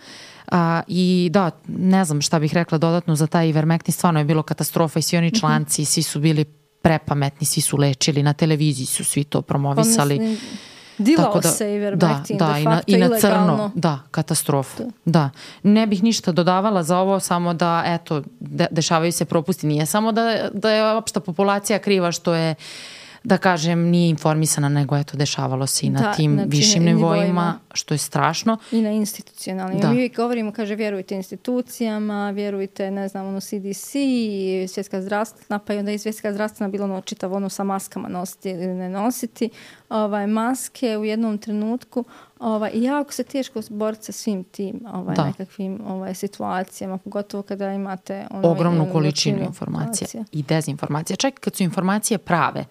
A, I da, ne znam šta bih rekla dodatno za taj ivermektin, stvarno je bilo katastrofa i svi oni članci, svi su bili prepametni, svi su lečili, na televiziji su svi to promovisali. Pa mislim, dilao da, se ivermektin, da, da, de i na, facto i na ilegalno. crno, da, katastrofa. Da. da. Ne bih ništa dodavala za ovo, samo da, eto, de, dešavaju se propusti. Nije samo da, da je opšta populacija kriva što je, da kažem, nije informisana, nego eto, dešavalo se i na da, tim znači, višim nivoima, nivoima, što je strašno. I na institucionalnim. Da. Mi uvijek govorimo, kaže, vjerujte institucijama, vjerujte, ne znam, ono C D C, svjetska zdravstvena, pa i onda i svjetska zdravstvena bilo ono čitav ono sa maskama nositi ili ne nositi. Ovaj, maske u jednom trenutku ovaj, i jako se teško boriti sa svim tim ovaj, nekakvim ovaj, situacijama, pogotovo kada imate ono, ogromnu jednu količinu informacija informacija i dezinformacija. Čak kad su informacije prave,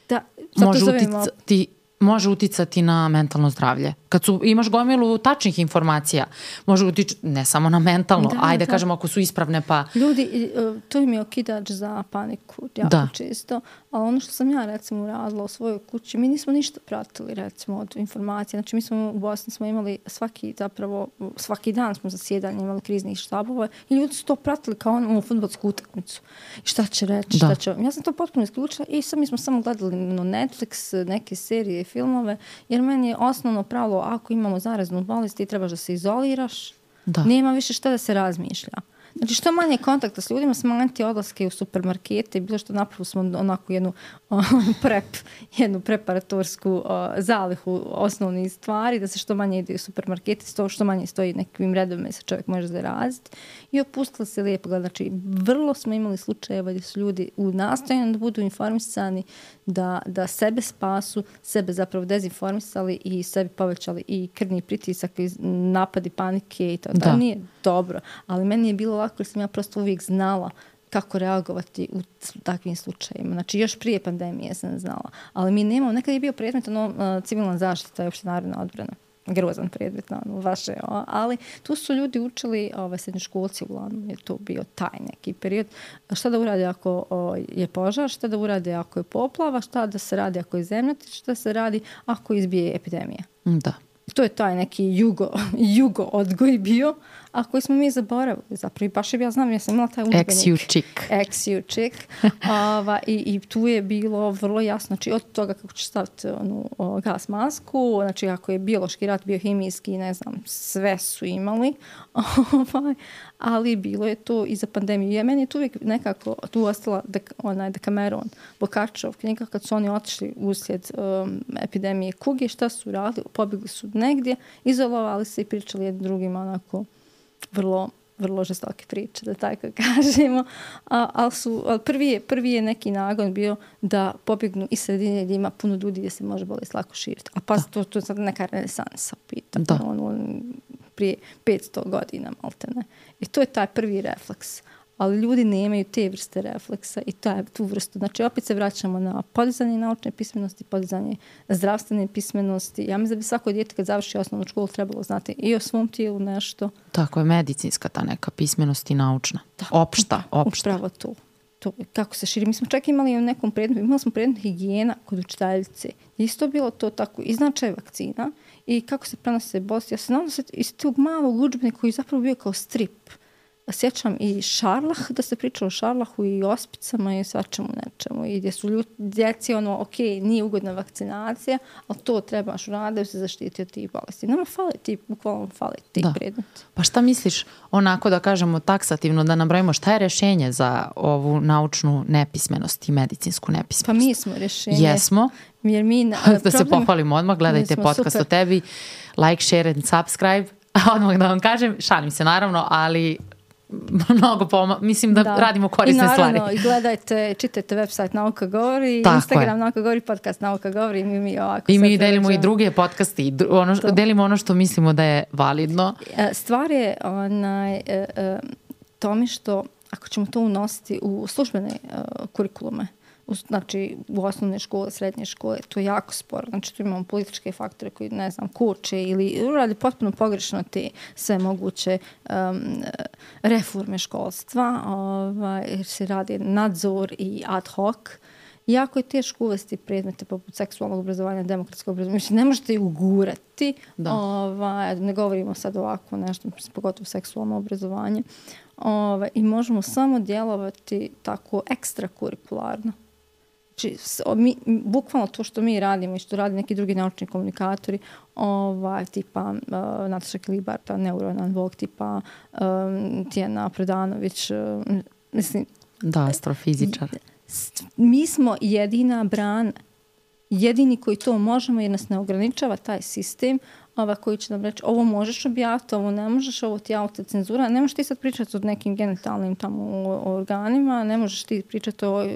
da, može uticati, može uticati na mentalno zdravlje. Kad su, imaš gomilu tačnih informacija, može uticati ne samo na mentalno, da, ajde da kažemo ako su ispravne pa... Ljudi, to im je okidač za paniku, jako da. Čisto. A ono što sam ja recimo radila u svojoj kući, mi nismo ništa pratili recimo od informacija. Znači mi smo u Bosni smo imali svaki zapravo, svaki dan smo zasjedanje imali kriznih štabova i ljudi su to pratili kao ono u fudbalsku utakmicu. I šta će reći, šta će... Ja sam to potpuno isključila i sad mi smo samo gledali no Netflix, neke serije, filmove, jer meni je osnovno pravilo ako imamo zaraznu bolest ti trebaš da se izoliraš, da. Nema više šta da se razmišlja. Znači što manje kontakta s ljudima, smanjiti odlaske u supermarkete i bilo što napravili smo onako jednu uh, prep, jednu preparatorsku uh, zalihu osnovnih stvari, da se što manje ide u supermarkete, sto, što manje stoji nekim redovima se čovjek može zaraziti i opustila se lijepo. Znači vrlo smo imali slučajeva gdje su ljudi u nastojanju da budu informisani, da, da sebe spasu, sebe zapravo dezinformisali i sebi povećali i krvni pritisak i napadi panike i to. Da. To nije dobro, ali meni je bilo lako jer sam ja prosto uvijek znala kako reagovati u takvim slučajima. Znači, još prije pandemije sam znala. Ali mi nemamo, nekad je bio predmet ono, uh, civilna zaštita i opšte narodna odbrana. Grozan predmet, ono, vaše, o, ali tu su ljudi učili, ove, srednjoškolci uglavnom, je to bio taj neki period. Šta da urade ako o, je požar, šta da urade ako je poplava, šta da se radi ako je zemljotres, šta se radi ako izbije epidemija. Da. To je taj neki jugo, jugo odgoj bio, a koji smo mi zaboravili zapravo. I baš je, ja znam, ja sam imala taj udžbenik. Ex-ju čik. Ex-ju čik. Ova, i, I tu je bilo vrlo jasno, znači od toga kako ćeš staviti onu, o, gas masku, znači ako je biološki rat, biohemijski, ne znam, sve su imali, ovaj, ali bilo je to i za pandemiju. Ja, meni je tu uvijek nekako tu ostala dek, onaj Dekameron, Bokačov knjiga, kad su oni otišli uslijed um, epidemije kuge, šta su radili, pobjegli su negdje, izolovali se i pričali jednim drugima onako vrlo, vrlo žestoke priče, da tako kažemo. A, ali su, ali prvi, je, prvi je neki nagon bio da pobjegnu iz sredine gdje ima puno ljudi gdje se može bolest lako širiti. A pa to, to je sad neka renesansa, pitam. Ono, prije petsto godina, maltene. I to je taj prvi refleks. Ali ljudi nemaju te vrste refleksa i taj, tu vrstu. Znači, opet se vraćamo na podizanje naučne pismenosti, podizanje zdravstvene pismenosti. Ja mislim da bi svako dijete kad završi osnovnu školu trebalo znati i o svom tijelu nešto. Tako je, medicinska ta neka pismenost i naučna. Da, opšta, opšta. Upravo to. to. Kako se širi. Mi smo čak imali u nekom predmetu, imali smo predmet higijena kod učiteljice. Isto bilo to tako, i značaj vakcina i kako se prenose bolesti. Ja se znam da se iz tog malog udžbenika koji zapravo bio kao strip, sjećam i Šarlah, da se pričalo o Šarlahu i ospicama i svačemu nečemu. I gdje su ljudi, djeci ono, ok, nije ugodna vakcinacija, ali to trebaš uraditi da se zaštiti od tih bolesti. Nama fali ti, bukvalno fali ti predmeti. Pa šta misliš, onako da kažemo taksativno, da nabrojimo šta je rješenje za ovu naučnu nepismenost i medicinsku nepismenost? Pa mi smo rješenje. Jesmo. Jer mi, da problem, se pohvalimo odmah, gledajte podcast super. O tebi, like, share and subscribe. Odmah da vam kažem, šalim se naravno, ali mnogo poma, mislim da, da radimo korisne stvari. I naravno, stvari. I gledajte, čitajte website Nauka govori, tako Instagram je. Nauka govori, podcast Nauka govori i mi, mi ovako. I mi delimo i druge podcaste i ono, delimo ono što mislimo da je validno. Stvar je onaj, tome što ako ćemo to unositi u službene uh, kurikulume, u, znači u osnovne škole, srednje škole, to je jako sporo. Znači tu imamo političke faktore koji, ne znam, kuće ili radi potpuno pogrešno te sve moguće um, reforme školstva, ovaj, jer se radi nadzor i ad hoc. Jako je teško uvesti predmete poput seksualnog obrazovanja, demokratskog obrazovanja. Mislim, ne možete ih ugurati. Ovaj, ne govorimo sad ovako nešto, pogotovo seksualno obrazovanje. Ovaj, I možemo samo djelovati tako ekstrakurikularno. Znači, mi, bukvalno to što mi radimo i što radi neki drugi naučni komunikatori, ovaj, tipa uh, Nataša Klibar, ta neuroanalog, tipa um, Tijana Predanović, uh, mislim... Da, astrofizičar. Mi smo jedina brana, jedini koji to možemo jer nas ne ograničava taj sistem, ova koji će nam reći ovo možeš objaviti, ovo ne možeš, ovo ti je autocenzura, ne možeš ti sad pričati o nekim genitalnim tamo organima, ne možeš ti pričati o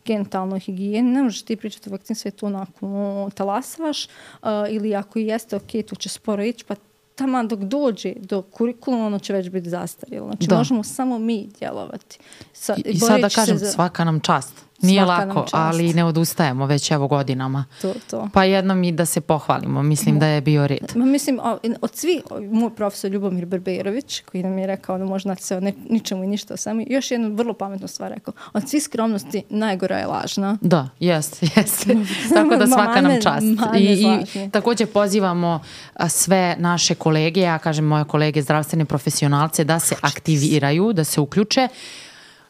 genitalnoj higijeni, ne možeš ti pričati o vakcini, sve to onako talasavaš uh, ili ako i jeste ok, to će sporo ići, pa tamo dok dođe do kurikuluma, ono će već biti zastarjelo. Znači, da. Možemo samo mi djelovati. Sa, I, i sad da kažem, za... svaka nam čast. Nije svaka lako, ali ne odustajemo već evo godinama. To, to. Pa jednom i da se pohvalimo. Mislim da je bio red. Ma, mislim, od svi, moj profesor Ljubomir Berberović, koji nam je rekao da možda se o ne, ničemu i ništa o sami, još jednu vrlo pametnu stvar rekao. Od svih skromnosti najgora je lažna. Da, jest, jest. Tako da svaka nam čast. I, i također pozivamo sve naše kolege, ja kažem moje kolege zdravstvene profesionalce, da se aktiviraju, da se uključe.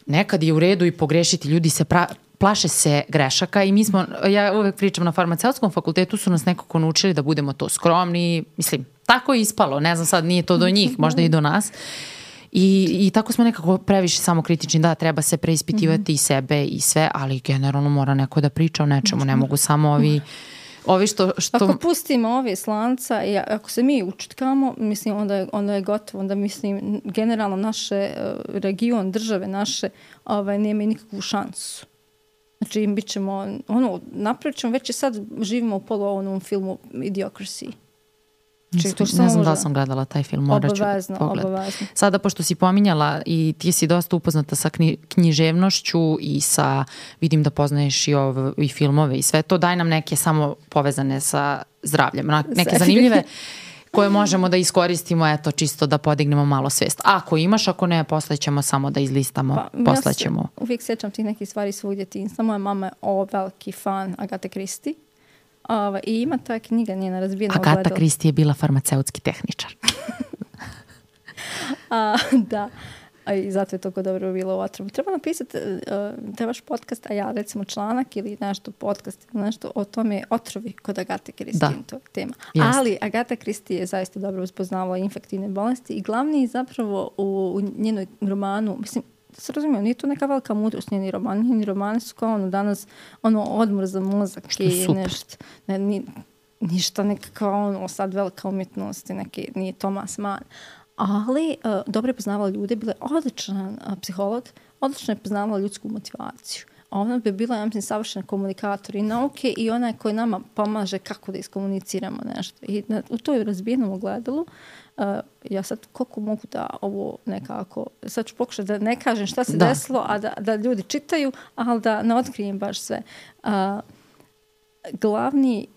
Nekad je u redu i pogrešiti, ljudi se pra, plaše se grešaka i mi smo, ja uvek pričam na farmaceutskom fakultetu su nas nekako naučili da budemo to skromni, mislim, tako je ispalo, ne znam sad, nije to do njih, možda i do nas. I, i tako smo nekako previše samokritični, da, treba se preispitivati mm-hmm. i sebe i sve, ali generalno mora neko da priča o nečemu, ne mogu samo ovi... Ovi što, što... Ako pustimo ove slanca i ako se mi učutkamo, mislim, onda je, onda je gotovo. Onda mislim, generalno naše region, države naše, ovaj, nema nikakvu šansu. Znači, bit ćemo, ono, napravit ćemo, već i sad živimo u polu ovom filmu Idiocracy. Znači, to ne znam da sam gledala taj film, morat ću pogledati. Obavezno. Sada, pošto si pominjala i ti si dosta upoznata sa knji, književnošću i sa, vidim da poznaješ i, ov, i filmove i sve to, daj nam neke samo povezane sa zdravljem, neke zanimljive koje možemo da iskoristimo, eto, čisto da podignemo malo svijest. Ako imaš, ako ne, poslaćemo samo da izlistamo, pa, poslaćemo. Ja se uvijek sjećam tih nekih stvari svog djetinjstva. Moja mama je o veliki fan Agate Christie. Ova, i ima ta knjiga njena razbijena Agata ogledala. Christie je bila farmaceutski tehničar. a, da. A, i zato je toliko dobro bilo u Otrovu. Treba napisati uh, trebaš podcast, a ja recimo članak ili nešto podcast ili nešto o tome otrovi kod Agate Christie. To je tema. Yes. Ali Agata Christie je zaista dobro uspoznavala infektivne bolesti i glavni zapravo u, u njenoj romanu, mislim, da se razumijem, nije to neka velika mudrost njeni roman. Njeni romani su kao ono danas ono odmor za mozak i nešto. Ne, ni, ništa nekakva ono sad velika umjetnost i neki, nije Thomas Mann. Ali uh, dobro je poznavala ljude, bila je odličan uh, psiholog, odlično je poznavala ljudsku motivaciju. Ona bi bila, ja mislim, savršena komunikator i nauke i ona koji nama pomaže kako da iskomuniciramo nešto. I na, u toj razbijenom ogledalu Uh, ja sad koliko mogu da ovo nekako, sad ću pokušati da ne kažem šta se da. desilo, a da, da ljudi čitaju, ali da ne otkrijem baš sve. Uh, glavni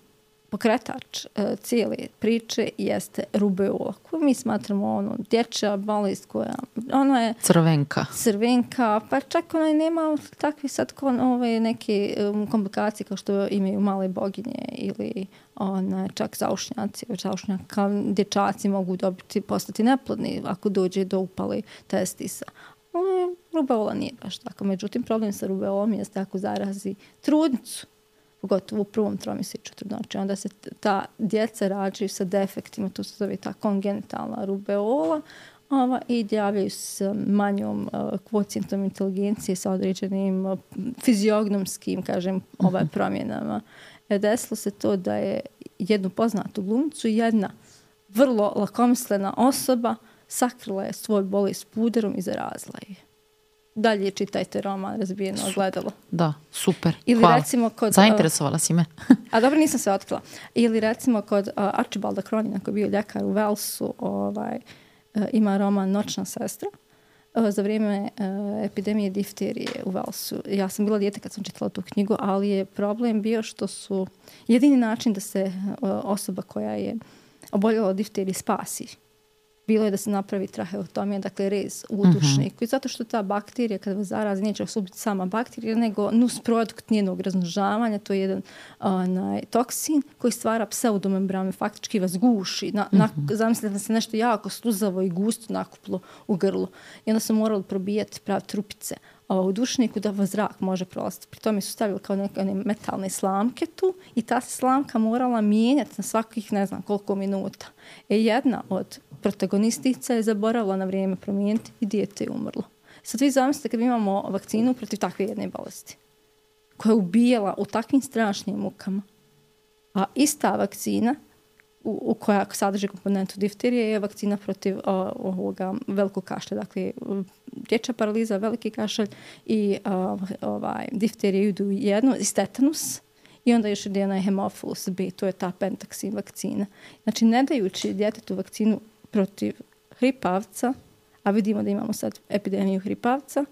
pokretač uh, cijele priče jeste rubeola, koju mi smatramo ono, dječja bolest koja, ona je crvenka. Crvenka, pa čak ona nema takve sad kon, ove neke um, komplikacije kao što imaju male boginje ili ona, čak zaušnjaci, zaušnjaka, dječaci mogu dobiti, postati neplodni ako dođe do upale testisa. Um, rubeola nije baš tako, međutim problem sa rubeolom jeste ako zarazi trudnicu, pogotovo u prvom tromjesečju trudnoće. Onda se ta djeca rađaju sa defektima, to se zove ta kongenitalna rubeola, ova, i javljaju se manjom uh, kvocijentom inteligencije sa određenim uh, fiziognomskim, kažem, ovaj, promjenama. E, desilo se to da je jednu poznatu glumicu, jedna vrlo lakomislena osoba sakrila je svoj bolest puderom i zarazila je. Dalje čitajte roman Razbijeno ogledalo. Da, super. Ili hvala. Recimo kod, zainteresovala si me. A dobro, nisam se otkrila. Ili recimo kod uh, Archibalda Cronina, koji je bio ljekar u Walesu, ovaj, uh, ima roman Noćna sestra. Uh, za vrijeme uh, epidemije difterije u Walesu. Ja sam bila dijete kad sam čitala tu knjigu, ali je problem bio što su jedini način da se uh, osoba koja je oboljela od difterije spasi bilo je da se napravi traheotomija, dakle rez u udušniku. Uh-huh. I zato što ta bakterija, kada vas zarazi, neće vas ubiti sama bakterija, nego nus produkt njenog razmnožavanja, to je jedan onaj, toksin koji stvara pseudomembranu, faktički vas guši. Na, uh-huh. na, zamislite da se nešto jako sluzavo i gusto nakuplo u grlu. I onda su morali probijati prav trupice u dušniku da vas zrak može prolaziti. Pri tome su stavili kao neke metalne slamke tu i ta se slamka morala mijenjati na svakih ne znam koliko minuta. E jedna od protagonistica je zaboravila na vrijeme promijeniti i dijete je umrlo. Sad vi zamislite kad imamo vakcinu protiv takve jedne bolesti koja je ubijala u takvim strašnim mukama, a ista vakcina u, u koja sadrži komponentu difterije je vakcina protiv o, ovoga velikog kašlja. Dakle, dječja paraliza, veliki kašalj i o, ovaj, difterije idu jedno, i tetanus. I onda još jedna je hemofilus B, to je ta pentaksin vakcina. Znači, ne dajući djetetu vakcinu protiv hripavca, a vidimo da imamo sad epidemiju hripavca,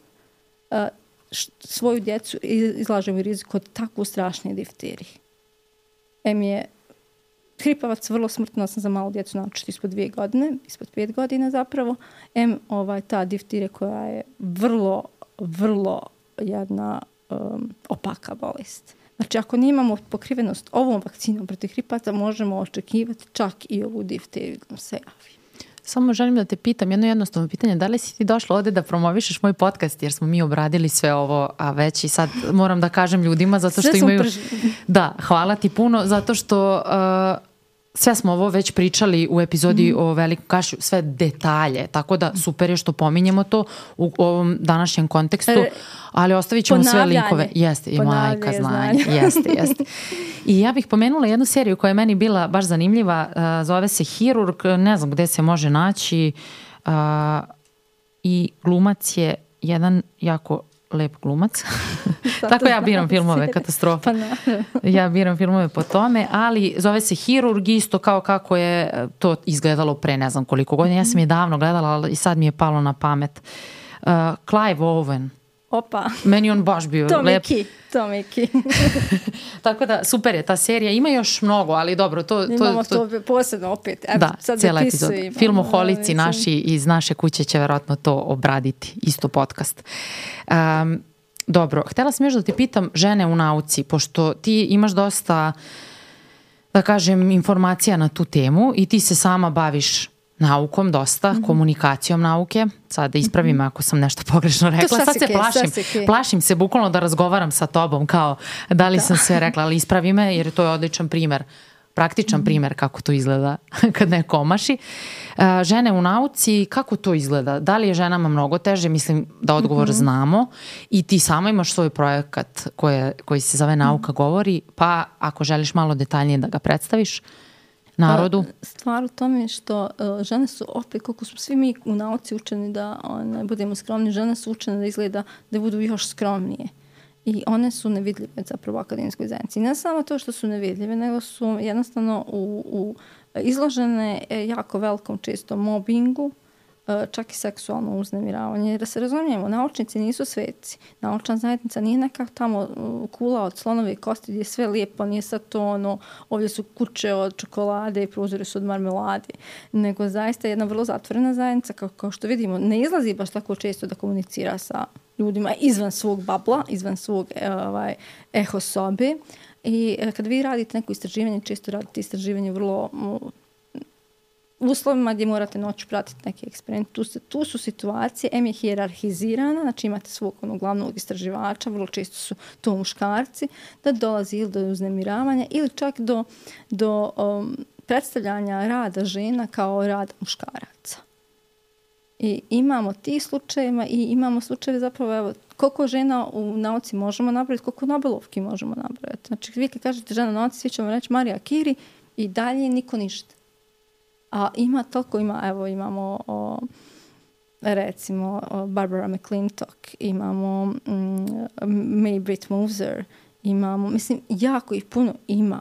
a, š, svoju djecu izlažemo u riziku od tako strašne difterije. Em je hripavac vrlo smrtno, sam za malu djecu naučiti ispod dvije godine, ispod pet godina zapravo. Em ovaj, ta difterija koja je vrlo, vrlo jedna um, opaka bolest. Znači, ako nimamo pokrivenost ovom vakcinom protiv hripavca, možemo očekivati čak i ovu difteriju da nam se javi. Samo želim da te pitam jedno jednostavno pitanje. Da li si ti došla ovdje da promovišeš moj podcast, jer smo mi obradili sve ovo, a već i sad moram da kažem ljudima zato što imaju... Da, hvala ti puno, zato što uh, sve smo ovo već pričali u epizodi mm. o Velikom kašlju, sve detalje, tako da super je što pominjemo to u ovom današnjem kontekstu, ali ostavit ćemo sve linkove. Jeste, i majka znanje. Jeste, jeste. I ja bih pomenula jednu seriju koja je meni bila baš zanimljiva, uh, zove se Hirurg, ne znam gde se može naći, uh, i glumac je jedan jako lep glumac. Tako ja biram filmove, katastrofa. Pa ja biram filmove po tome, ali zove se Hirurg, isto kao kako je to izgledalo pre ne znam koliko godina. Ja sam je davno gledala, ali i sad mi je palo na pamet. Uh, Clive Owen. Opa. Meni on baš bio to lep. Miki, to Miki. Tako da, super je ta serija. Ima još mnogo, ali dobro. To, to, Imamo to, to posebno opet. Evo, da, sad cijela epizoda. Filmoholici da, naši iz naše kuće će verovatno to obraditi. Isto podcast. Um, dobro, htjela sam još da ti pitam žene u nauci, pošto ti imaš dosta, da kažem, informacija na tu temu i ti se sama baviš naukom dosta, mm-hmm. komunikacijom nauke. Sad da ispravim mm-hmm. ako sam nešto pogrešno rekla. Sad se plašim. Plašim se bukvalno da razgovaram sa tobom kao da li da. sam sve rekla, ali ispravi me jer to je odličan primjer, praktičan mm-hmm. primjer kako to izgleda kad neko omaši. Uh, žene u nauci, kako to izgleda? Da li je ženama mnogo teže? Mislim da odgovor mm-hmm. znamo i ti sama imaš svoj projekat koje, koji se zove Nauka govori, pa ako želiš malo detaljnije da ga predstaviš narodu. Stvar u tome što uh, žene su opet, koliko smo svi mi u nauci učeni da ne budemo skromni, žene su učene da izgleda da budu još skromnije. I one su nevidljive zapravo u akademijskoj zajednici. Ne samo to što su nevidljive, nego su jednostavno u, u izložene jako velikom često mobingu, čak i seksualno uznemiravanje. Da se razumijemo, naučnici nisu sveci. Naučna zajednica nije neka tamo kula od slonove kosti gdje je sve lijepo, nije sad to ono, ovdje su kuće od čokolade i prozori su od marmelade. Nego zaista jedna vrlo zatvorena zajednica, kao, kao što vidimo, ne izlazi baš tako često da komunicira sa ljudima izvan svog babla, izvan svog ovaj, eho sobe. I kad vi radite neko istraživanje, često radite istraživanje vrlo u uslovima gdje morate noću pratiti neki eksperiment. Tu, se, tu su situacije, em je hijerarhizirana, znači imate svog onog glavnog istraživača, vrlo često su to muškarci, da dolazi ili do uznemiravanja ili čak do, do um, predstavljanja rada žena kao rad muškaraca. I imamo ti slučajeva i imamo slučajeve zapravo, evo, koliko žena u nauci možemo napraviti, koliko Nobelovki možemo napraviti. Znači, vi kad kažete žena u nauci, svi ćemo reći Marija Curie i dalje niko ništa. A ima toliko, ima, evo, imamo o, recimo o Barbara McClintock, imamo mm, May Britt Moser, imamo, mislim, jako ih puno ima,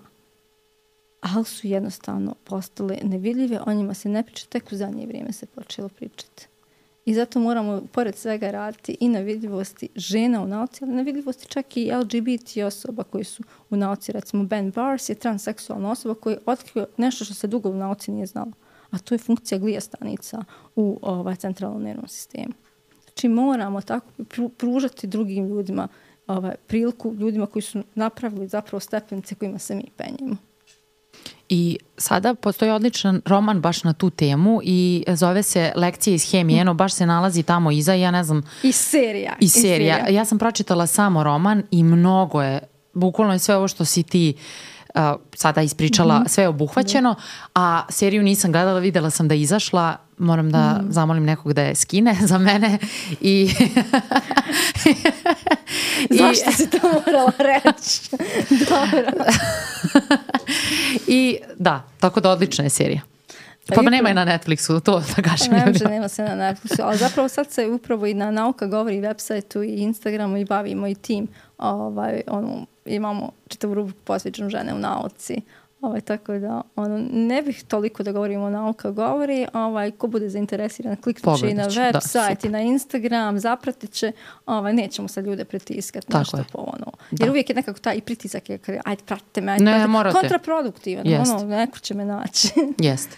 ali su jednostavno postale nevidljive, o njima se ne priča, tek u zadnje vrijeme se počelo pričati. I zato moramo, pored svega, raditi i na vidljivosti žena u nauci, ali na vidljivosti čak i L G B T osoba koji su u nauci. Recimo, Ben Bars je transseksualna osoba koja je otkrio nešto što se dugo u nauci nije znalo. A to je funkcija glija stanica u ovaj, centralnom nervnom sistemu. Znači, moramo tako pružati drugim ljudima ovaj, priliku, ljudima koji su napravili zapravo stepenice kojima se mi penjemo. I sada postoji odličan roman baš na tu temu i zove se Lekcije iz hemije, eno baš se nalazi tamo iza, ja ne znam... I serija. I serija. I serija. Ja sam pročitala samo roman i mnogo je, bukvalno je sve ovo što si ti uh, sada ispričala, mm-hmm. sve je obuhvaćeno, a seriju nisam gledala, videla sam da je izašla, moram da mm. zamolim nekog da je skine za mene i... Zašto I... si to morala reći? Dobro. I da, tako da odlična je serija. Pa, pa nema je na Netflixu, to da kažem. Ne može, nema se na Netflixu, ali zapravo sad se upravo i na Nauka govori i websajtu i Instagramu i bavimo i tim. Ovaj, ono, imamo čitavu rubriku posvećenu žene u nauci. Ovaj, tako da ono, ne bih toliko da govorimo o Nauka govori, ovaj, ko bude zainteresiran kliknut će i na website i na Instagram, zapratit će, ovaj, nećemo sad ljude pritiskati nešto po ono. Jer da. Uvijek je nekako taj i pritisak je kada ajde pratite me, ajde ne, pratite. Morate. Kontraproduktivan, ono, neko će me naći. Jeste.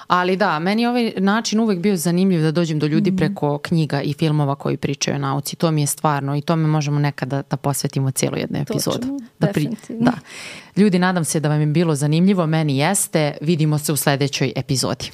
Ali da, meni je ovaj način uvek bio zanimljiv da dođem do ljudi mm-hmm. preko knjiga i filmova koji pričaju o nauci. To mi je stvarno i to me možemo nekada da posvetimo cijelu jednu epizodu. Točno, da definitivno. Da. Ljudi, nadam se da vam je bilo zanimljivo. Meni jeste. Vidimo se u sljedećoj epizodi.